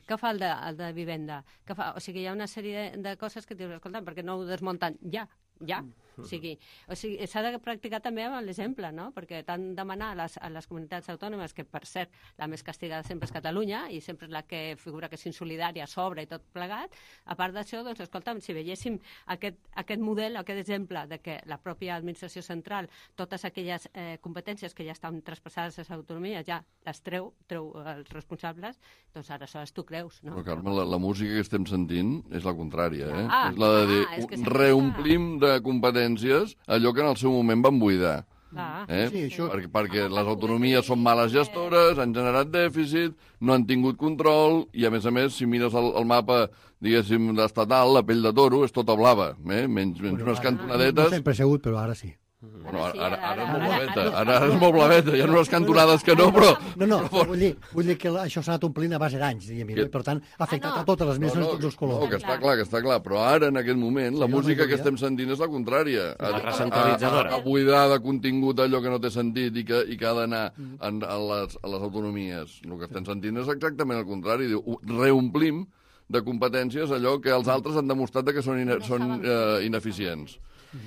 K: Què fa el de, el de Vivenda? Què fa? O sigui, hi ha una sèrie de, de coses que dius, escolta, perquè no ho desmunten ja? Ja, o sigui, o sigui, s'ha de practicar també amb l'exemple, no? Perquè tant demanar a les, a les comunitats autònomes, que per cert la més castigada sempre és Catalunya i sempre és la que figura que és insolidària, sobre i tot plegat, a part d'això, doncs, escolta'm, si veiéssim aquest, aquest model, aquest exemple de que la pròpia administració central, totes aquelles eh, competències que ja estan traspassades a les autonomies, ja les treu, treu els responsables, doncs aleshores tu creus, no?
M: Però, Carme, la, la música que estem sentint és la contrària, eh?
K: Ah,
M: és la de dir,
K: ah, és que
M: reomplim de competències allò que en el seu moment van buidar.
K: Ah.
M: Eh?
L: Sí, això...
M: perquè, perquè les autonomies són males gestores, han generat dèficit, no han tingut control, i a més a més, si mires el, el mapa, diguéssim, estatal, la pell de toro és tota blava, eh? menys, menys
L: bueno,
M: unes
L: ara,
M: cantonadetes...
L: No sempre ha sigut, però ara sí.
M: Bueno, ara, ara, ara és molt blaveta, ara, ara és molt blaveta, hi ha unes cantonades que no, però...
L: No, no, però vull dir, vull dir que això s'ha anat omplint a base d'anys, diguem, i per tant ha afectat a totes les meses,
M: no, no,
L: tots els colors.
M: No, que està clar, que està clar, però ara, en aquest moment, la música que estem sentint és la contrària.
B: La recentralitzadora.
M: A buidar de contingut allò que no té sentit i que, i que ha d'anar a les, a les autonomies. El que estem sentint és exactament el contrari. Diu, reomplim de competències allò que els altres han demostrat que són, ine són eh, ineficients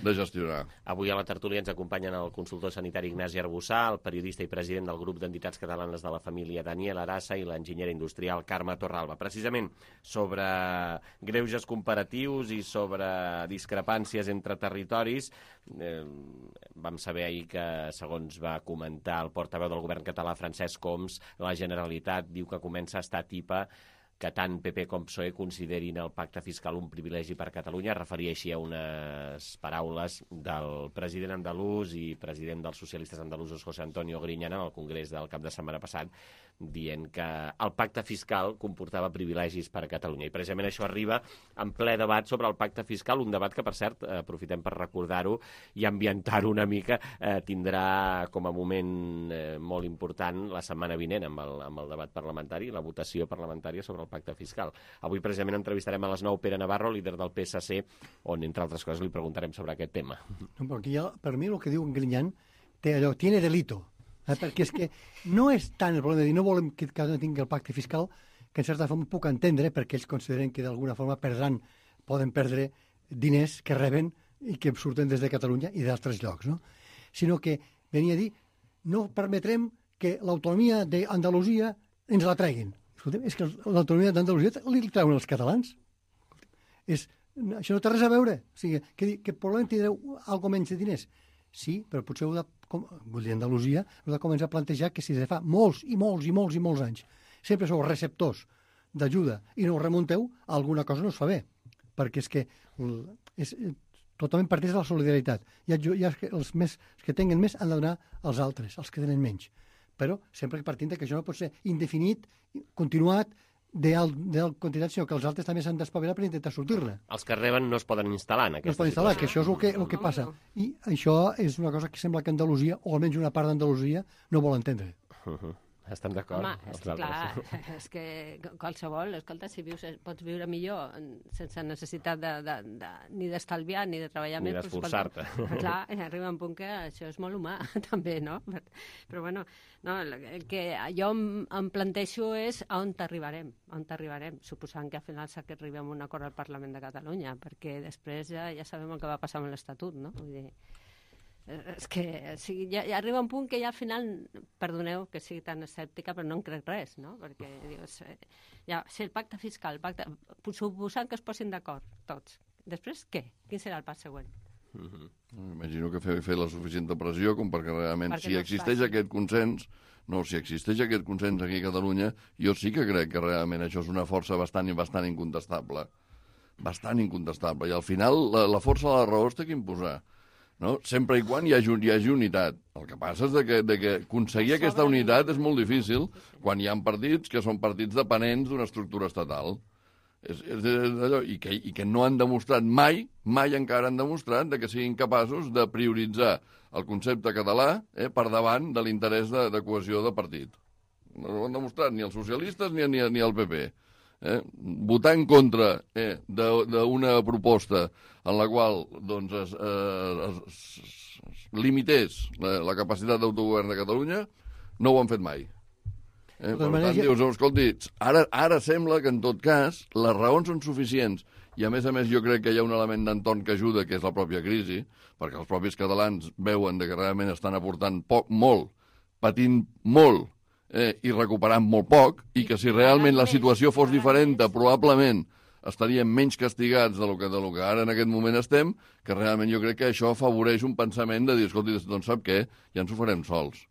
M: de gestionar.
B: Avui a la tertúlia ens acompanyen el consultor sanitari Ignasi Arbussà, el periodista i president del grup d'entitats catalanes de la família Daniel Arassa i l'enginyera industrial Carme Torralba. Precisament sobre greuges comparatius i sobre discrepàncies entre territoris, eh, vam saber ahir que, segons va comentar el portaveu del govern català, Francesc Homs, la Generalitat diu que comença a estar tipa que tant P P com P S O E considerin el pacte fiscal un privilegi per Catalunya. Referia així a unes paraules del president andalús i president dels socialistes andalusos, José Antonio Griñán, en el congrés del cap de setmana passat, dient que el pacte fiscal comportava privilegis per a Catalunya. I precisament això arriba en ple debat sobre el pacte fiscal, un debat que, per cert, eh, aprofitem per recordar-ho i ambientar-ho una mica, eh, tindrà com a moment eh, molt important la setmana vinent amb el, amb el debat parlamentari, la votació parlamentària sobre el pacte fiscal. Avui precisament entrevistarem a les nou Pere Navarro, líder del P S C, on, entre altres coses, li preguntarem sobre aquest tema.
L: No, perquè ja, per mi el que diu en Griñán té allò, tiene delito. Eh? Perquè és que no és tant el problema de dir no volem que cada un tingui el pacte fiscal, que en certa forma puc entendre perquè ells consideren que d'alguna forma perdran, poden perdre diners que reben i que surten des de Catalunya i d'altres llocs, no? Sinó que venia a dir no permetrem que l'autonomia d'Andalusia ens la treguin. Escolta'm, és que l'autonomia d'Andalusia li treuen els catalans. És, això no té res a veure. O sigui, que, que probablement tindreu alguna menys de diners. Sí, però potser heu de, com, vull dir, Andalusia, heu de començar a plantejar que si de fa molts i molts i molts i molts anys sempre sou receptors d'ajuda i no ho remunteu, alguna cosa no es fa bé. Perquè és que és, totalment parteix de la solidaritat. Ja, ja els, més, els que tenen més han de donar als altres, els que tenen menys. Però sempre partint que això no pot ser indefinit, continuat, d'alt quantitat, sinó que els altres també s'han d'espavilar per intentar sortir-ne.
B: Els que reben no es poden instal·lar en aquesta
L: no es poden instal·lar, que això és el que, el que passa. I això és una cosa que sembla que Andalusia, o almenys una part d'Andalusia, no vol entendre.
B: Uh-huh. Estan d'acord?
K: Home, és que, clar, és que qualsevol, escolta, si vius, pots viure millor sense necessitat de, de, de, ni d'estalviar ni de treballar
B: ni
K: més.
B: Ni d'esforçar-te.
K: Clar, arriba un punt que això és molt humà, també, no? Però, bueno, no, el que jo em, em planteixo és a on t'arribarem, on t'arribarem, suposant que al final s'arribem a un acord al Parlament de Catalunya, perquè després ja, ja sabem el que va passar amb l'Estatut, no? Vull dir, és que o sigui, ja, ja arriba un punt que ja al final, perdoneu que sigui tan escèptica, però no en crec res, no? Perquè dius, eh, ja, si el pacte fiscal, el pacte, suposant que es posin d'acord tots, després què? Quin serà el pas següent?
M: Uh-huh. Imagino que fer, fer la suficient pressió com perquè realment, perquè si no existeix aquest consens, no, si existeix aquest consens aquí a Catalunya, jo sí que crec que realment això és una força bastant i bastant incontestable. Bastant incontestable. I al final la, la força de la raó es té que imposar. No? Sempre i quan hi hagi, hi hagi unitat. El que passa és de que, de que aconseguir aquesta unitat és molt difícil quan hi ha partits que són partits dependents d'una estructura estatal. És, és, és allò, i, que, i que no han demostrat mai, mai encara han demostrat de que siguin capaços de prioritzar el concepte català eh, per davant de l'interès de, de cohesió de partit. No ho han demostrat ni els socialistes ni, ni, ni el P P. Eh? Votar en contra eh, d'una proposta en la qual doncs, es, eh, es, es limités la, la capacitat d'autogovern de Catalunya, no ho han fet mai. Eh, per tant, dius, escolti, ara, ara sembla que en tot cas les raons són suficients i a més a més jo crec que hi ha un element d'entorn que ajuda, que és la pròpia crisi, perquè els propis catalans veuen que realment estan aportant poc, molt, patint molt eh, i recuperant molt poc, i que si realment la situació fos diferent, probablement estaríem menys castigats de lo que, de lo que ara en aquest moment estem, que realment jo crec que això afavoreix un pensament de dir, escolti, doncs sap què? Ja ens ho farem sols.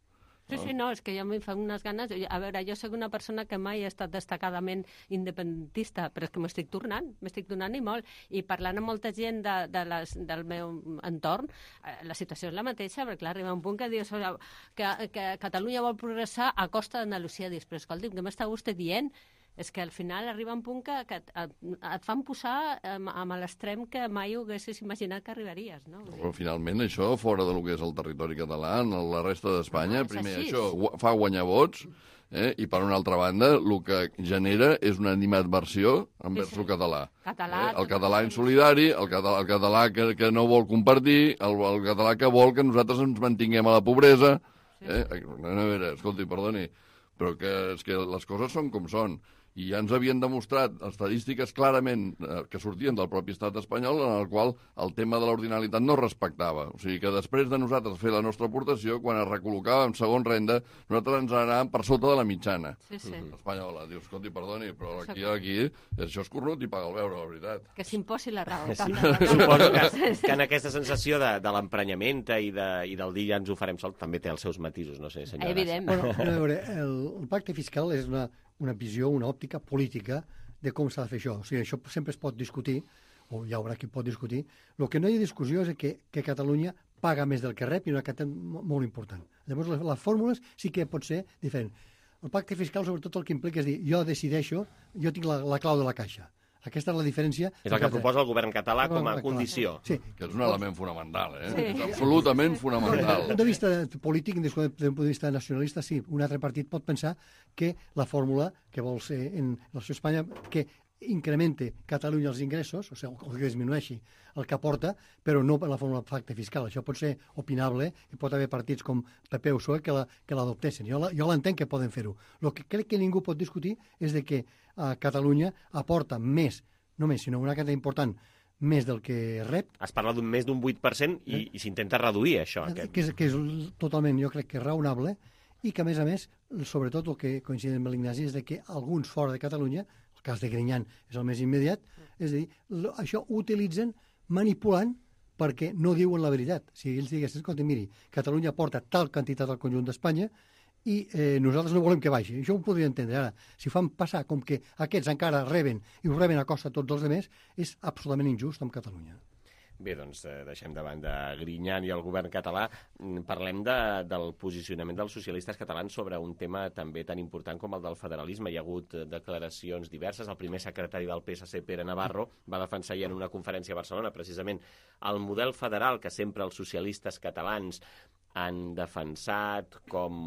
K: Sí, sí, no, és que jo m'hi fa unes ganes... A veure, jo soc una persona que mai ha estat destacadament independentista, però és que m'estic tornant, m'estic tornant i molt. I parlant amb molta gent de, de les, del meu entorn, eh, la situació és la mateixa, perquè clar, arriba un punt que dius que, que Catalunya vol progressar a costa d'Andalusia. Dius, però escolti'm, què m'està vostè dient? És que al final arriba un punt que, que et, et fan posar amb, amb l'extrem que mai ho haguessis imaginat que arribaries, no?
M: Però finalment això, fora del que és el territori català, en la resta d'Espanya, no, primer així. Això fa guanyar vots, eh? I per una altra banda, el que genera és una animadversió envers sí, sí. el català.
K: català
M: eh? El català insolidari, el català, el català que, que no vol compartir, el, el català que vol que nosaltres ens mantinguem a la pobresa. Sí. Eh? A veure, escolti, perdoni, però que, és que les coses són com són. I ja ens havien demostrat estadístiques clarament eh, que sortien del propi estat espanyol en el qual el tema de l'ordinalitat no es respectava. O sigui que després de nosaltres fer la nostra aportació, quan es recol·locava en segon renda, nosaltres ens anàvem per sota de la mitjana
K: sí, sí.
M: espanyola. Dius, escolti, perdoni, però aquí, aquí això és corrut i paga el beure, la veritat.
K: Que s'imposi la raó.
B: Sí. Suposo que, que en aquesta sensació de, de l'emprenyament i, de, i del dir ja ens ho farem sol també té els seus matisos, no sé, senyora.
K: Evident.
L: Bueno, a veure, el, el pacte fiscal és una... una visió, una òptica política de com s'ha de fer això. O sigui, això sempre es pot discutir, o hi haurà qui pot discutir. El que no hi ha discussió és que, que Catalunya paga més del que rep i una quantitat molt important. Llavors, les, les fórmules sí que pot ser diferent. El pacte fiscal, sobretot, el que implica és dir, jo decideixo, jo tinc la, la clau de la caixa. Aquesta és la diferència.
B: És el que proposa el govern català com a condició.
L: Sí.
M: Que és un element fonamental, eh? Sí. És absolutament fonamental.
L: Des d'un punt de vista polític, des d'un punt de vista nacionalista, sí, un altre partit pot pensar que la fórmula que vol ser en la societat Espanya, que incremente Catalunya els ingressos, o sigui, o que disminueixi el que aporta, però no per la fórmula de pacte fiscal. Això pot ser opinable i pot haver partits com P P o P S O E que l'adoptessin. La, jo l'entenc que poden fer-ho. El que crec que ningú pot discutir és de que a Catalunya aporta més, no més, sinó una quantitat important, més del que rep.
B: Es parla d'un més d'un vuit per cent i, eh? i s'intenta reduir això.
L: Aquest. Que, és, que és totalment, jo crec que raonable, i que a més a més, sobretot el que coincide amb l'Ignasi és de que alguns fora de Catalunya, el cas de Grinyan és el més immediat, és a dir, això ho utilitzen manipulant perquè no diuen la veritat. Si ells diguessin, escolta, miri, Catalunya aporta tal quantitat al conjunt d'Espanya i eh, nosaltres no volem que baixi. Això ho podria entendre ara. Si fan passar com que aquests encara reben i ho reben a costa tots els altres, és absolutament injust amb Catalunya.
B: Bé, doncs eh, deixem de banda Grinyan i el govern català. Parlem de, del posicionament dels socialistes catalans sobre un tema també tan important com el del federalisme. Hi ha hagut declaracions diverses. El primer secretari del P S C, Pere Navarro, va defensar ja en una conferència a Barcelona precisament el model federal que sempre els socialistes catalans han defensat com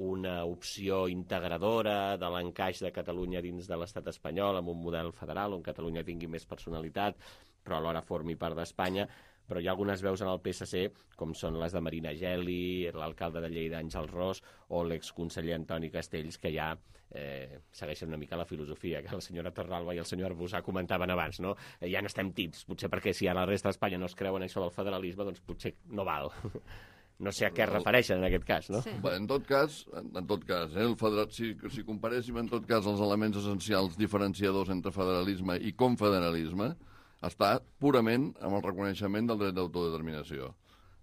B: una opció integradora de l'encaix de Catalunya dins de l'estat espanyol amb un model federal on Catalunya tingui més personalitat, però alhora formi part d'Espanya. Però hi ha algunes veus en el P S C, com són les de Marina Geli, l'alcalde de Lleida, Àngel Ros, o l'exconseller Antoni Castells, que ja eh, segueixen una mica la filosofia que la senyora Torralba i el senyor Arbusà comentaven abans, no? Eh, ja n'estem tits, potser perquè si a la resta d'Espanya no es creuen això del federalisme, doncs potser no val. No sé a què es refereixen en aquest cas, no?
M: Sí. Bé, en tot cas, en, en tot cas eh, el federal, si, si comparéssim en tot cas els elements essencials diferenciadors entre federalisme i confederalisme, està purament amb el reconeixement del dret d'autodeterminació.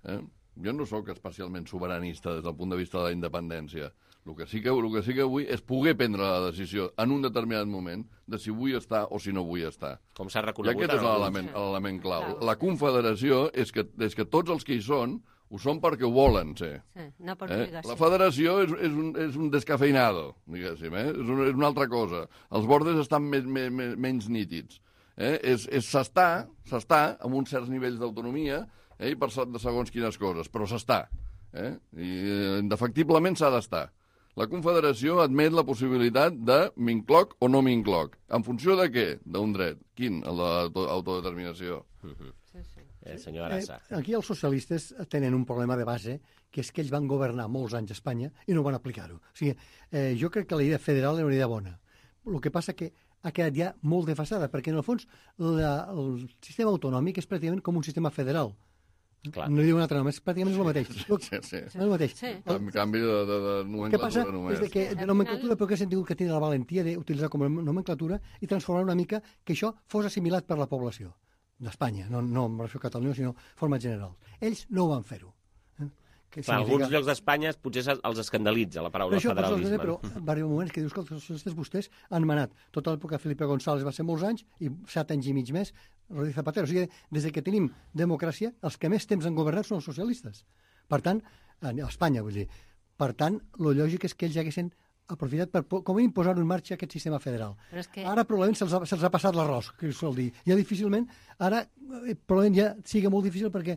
M: Eh? Jo no sóc especialment sobiranista des del punt de vista de la independència. El que sí que, el que, sí que vull és poder prendre la decisió en un determinat moment de si vull estar o si no vull estar.
B: Com s'ha reconegut.
M: I aquest és l'element l'element clau. La confederació és que, és que tots els que hi són ho són perquè ho volen ser.
K: Sí, no per
M: eh?
K: obligació.
M: La federació és, és, un, és un descafeinado, diguéssim, eh? és, un, és una altra cosa. Els bordes estan més, més, més, menys nítids. Eh? És, és s'està, s'està amb uns certs nivells d'autonomia eh? i per de segons quines coses, però s'està. Eh? I eh, indefectiblement s'ha d'estar. La Confederació admet la possibilitat de m'incloc o no m'incloc. En funció de què? D'un dret. Quin? El de l'autodeterminació.
B: Uh-huh. Sí, sí. Eh, senyor Arassa.
L: Eh, aquí els socialistes tenen un problema de base, que és que ells van governar molts anys a Espanya i no van aplicar-ho. O sigui, eh, jo crec que la idea federal era una idea bona. El que passa que ha quedat ja molt defasada, perquè en el fons la, el sistema autonòmic és pràcticament com un sistema federal. Clar. No diu un altre nom, és pràcticament el mateix.
M: Sí, sí.
L: És el mateix.
K: Sí.
M: En canvi de, de, de nomenclatura
L: Què passa
M: només.
L: és que de nomenclatura, però que hem tingut que tenir la valentia d'utilitzar com a nomenclatura i transformar una mica que això fos assimilat per la població d'Espanya, no, no en relació a Catalunya, sinó de forma general. Ells no ho van fer-ho. Eh?
B: Que Clar, significa... alguns llocs d'Espanya potser els escandalitza la paraula
L: però això,
B: federalisme.
L: Però va arribar moments que dius que els socialistes vostès han manat. Tota l'època Felipe González va ser molts anys i set anys i mig més Rodríguez Zapatero. O sigui, des que tenim democràcia, els que més temps han governat són els socialistes. Per tant, a Espanya, vull dir. Per tant, el lògic és que ells haguessin aprofitat per com a imposar en marxa aquest sistema federal.
K: Que...
L: Ara probablement se'ls ha, se ha passat l'arròs, que es sol dir. Ja difícilment, ara probablement ja sigui molt difícil perquè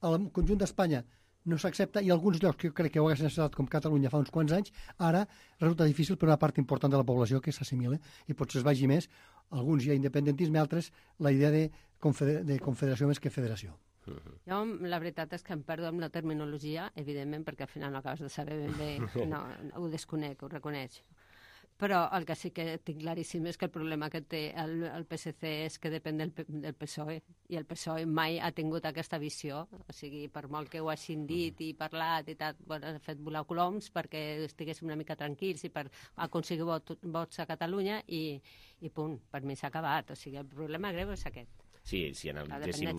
L: el conjunt d'Espanya no s'accepta i alguns llocs que jo crec que ho haguessin necessitat com Catalunya fa uns quants anys, ara resulta difícil per una part important de la població que s'assimile i potser es vagi més, alguns hi ha independentisme, altres la idea de, confeder de confederació més que federació.
K: Jo, la veritat és que em perdo amb la terminologia, evidentment, perquè al final no acabes de saber ben bé, no, ho desconec, ho reconeix. Però el que sí que tinc claríssim és que el problema que té el, el P S C és que depèn del, del P S O E, i el P S O E mai ha tingut aquesta visió, o sigui, per molt que ho hagin dit i parlat i tal, bueno, ha fet volar coloms perquè estiguéssim una mica tranquils i per aconseguir vot, vots a Catalunya i, i punt, per mi s'ha acabat, o sigui, el problema greu és aquest.
B: Sí, si analitzéssim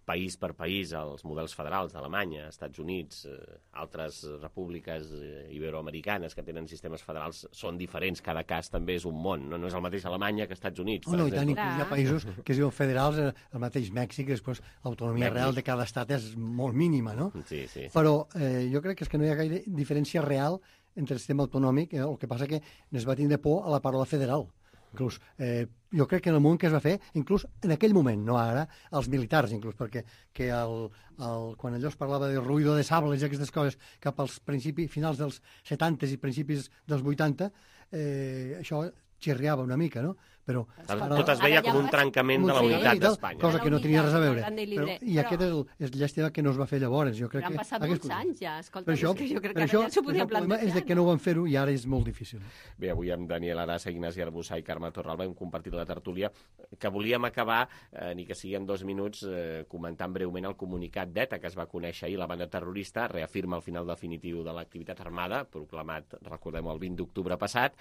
B: país per país els models federals d'Alemanya, Estats Units, eh, altres repúbliques eh, iberoamericanes que tenen sistemes federals són diferents, cada cas també és un món, no, no és el mateix Alemanya que Estats Units.
L: Oh, no, i tant, inclús hi ha països que es diuen federals, el mateix Mèxic, després l'autonomia
B: Mèxic.
L: real de cada estat és molt mínima, no?
B: Sí, sí. sí.
L: Però eh, jo crec que és que no hi ha gaire diferència real entre el sistema autonòmic, eh, el que passa que es va tindre por a la paraula federal. Inclús, eh, jo crec que en el moment que es va fer, inclús en aquell moment, no ara, els militars, inclús, perquè que el, el, quan allò es parlava de ruïdo de sables i aquestes coses cap als principis, finals dels setanta i principis dels vuitanta, eh, això xirriava una mica, no? Però
B: ara, tot es veia com un trencament de la unitat d'Espanya.
L: Cosa que no tenia res a veure. Però, I aquest és, el, és llàstima que no es va fer llavors. Jo crec
K: però han
L: que,
K: passat molts anys ja, escolta,
L: per això,
K: és que jo crec
L: per
K: que
L: això,
K: ara ja s'ho podia
L: plantejar. El problema és que no ho van fer-ho i ara és molt difícil.
B: Bé, avui amb Daniel Arassa, Ignasi Arbussà i Carme Torralba hem compartit la tertúlia que volíem acabar, eh, ni que sigui en dos minuts, eh, comentant breument el comunicat d'ETA que es va conèixer ahir. La banda terrorista reafirma el final definitiu de l'activitat armada, proclamat, recordem, el vint d'octubre passat,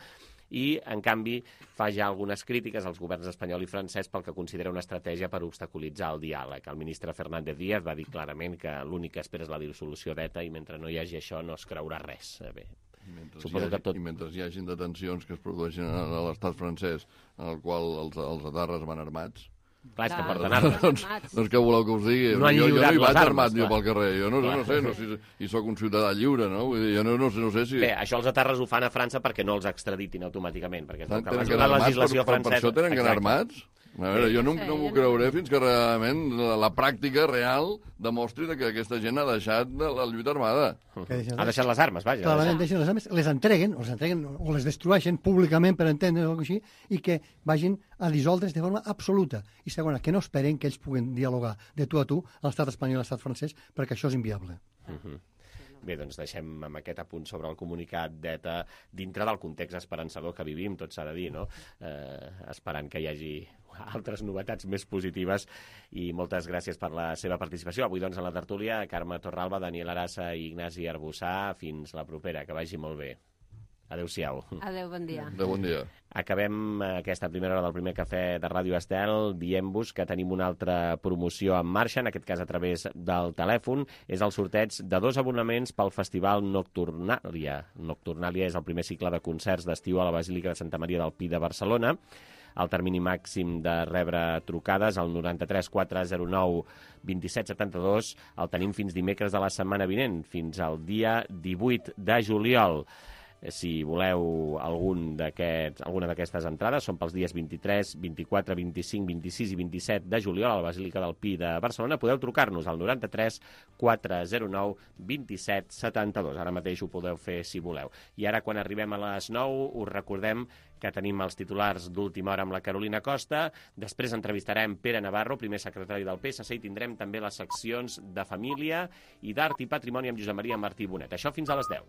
B: i, en canvi, fa ja algunes crítiques als governs espanyol i francès pel que considera una estratègia per obstaculitzar el diàleg. El ministre Fernández Díaz va dir clarament que l'únic que espera és la dissolució d'ETA i mentre no hi hagi això no es creurà res. Bé,
M: mentre Suposo hi hagi, que tot... I mentre hi hagin detencions que es produeixen a l'estat francès en el qual els, els atarres van armats,
B: clar, és que porten armes.
M: doncs, doncs què voleu que us digui?
B: No
M: jo, jo no hi vaig
B: armes,
M: armat jo
B: clar.
M: pel carrer, jo no, no sé, no sé si sóc un ciutadà lliure, no? Vull dir, jo no, no, sé, no sé si...
B: Bé, això els atarres ho fan a França perquè no els extraditin automàticament, perquè és el que
M: tenen
B: la,
M: que anar
B: la
M: armats,
B: legislació
M: per,
B: francesa...
M: Per això tenen que anar armats? A veure, jo no, no m'ho creuré fins que realment la, la pràctica real demostri que aquesta gent ha deixat de la lluita armada.
B: Ha deixat les armes, vaja.
L: Clarament deixen les armes, les entreguen, o les entreguen o les destrueixen públicament per entendre o així, i que vagin a dissoldre's de forma absoluta. I segona, que no esperen que ells puguen dialogar de tu a tu a l'estat espanyol i a l'estat francès, perquè això és inviable.
B: Uh -huh. Bé, doncs deixem amb aquest apunt sobre el comunicat d'ETA dintre del context esperançador que vivim, tot s'ha de dir, no? Eh, esperant que hi hagi altres novetats més positives i moltes gràcies per la seva participació. Avui, doncs, en la tertúlia, Carme Torralba, Daniel Arassa i Ignasi Arbussà. Fins la propera, que vagi molt bé. Adéu-siau.
K: Adéu, bon dia.
M: Adéu, bon dia.
B: Acabem aquesta primera hora del primer cafè de Ràdio Estel dient-vos que tenim una altra promoció en marxa, en aquest cas a través del telèfon. És el sorteig de dos abonaments pel Festival Nocturnalia. Nocturnalia és el primer cicle de concerts d'estiu a la Basílica de Santa Maria del Pi de Barcelona. El termini màxim de rebre trucades, al noranta-tres quatre zero nou vint-i-set setanta-dos, el tenim fins dimecres de la setmana vinent, fins al dia divuit de juliol. Si voleu algun d'aquests, alguna d'aquestes entrades, són pels dies vint-i-tres, vint-i-quatre, vint-i-cinc, vint-i-sis i vint-i-set de juliol a la Basílica del Pi de Barcelona. Podeu trucar-nos al noranta-tres quatre zero nou vint-i-set setanta-dos. Ara mateix ho podeu fer si voleu. I ara, quan arribem a les nou, us recordem que tenim els titulars d'última hora amb la Carolina Costa. Després entrevistarem Pere Navarro, primer secretari del P S C, i tindrem també les seccions de família i d'art i patrimoni amb Josep Maria Martí Bonet. Això fins a les deu.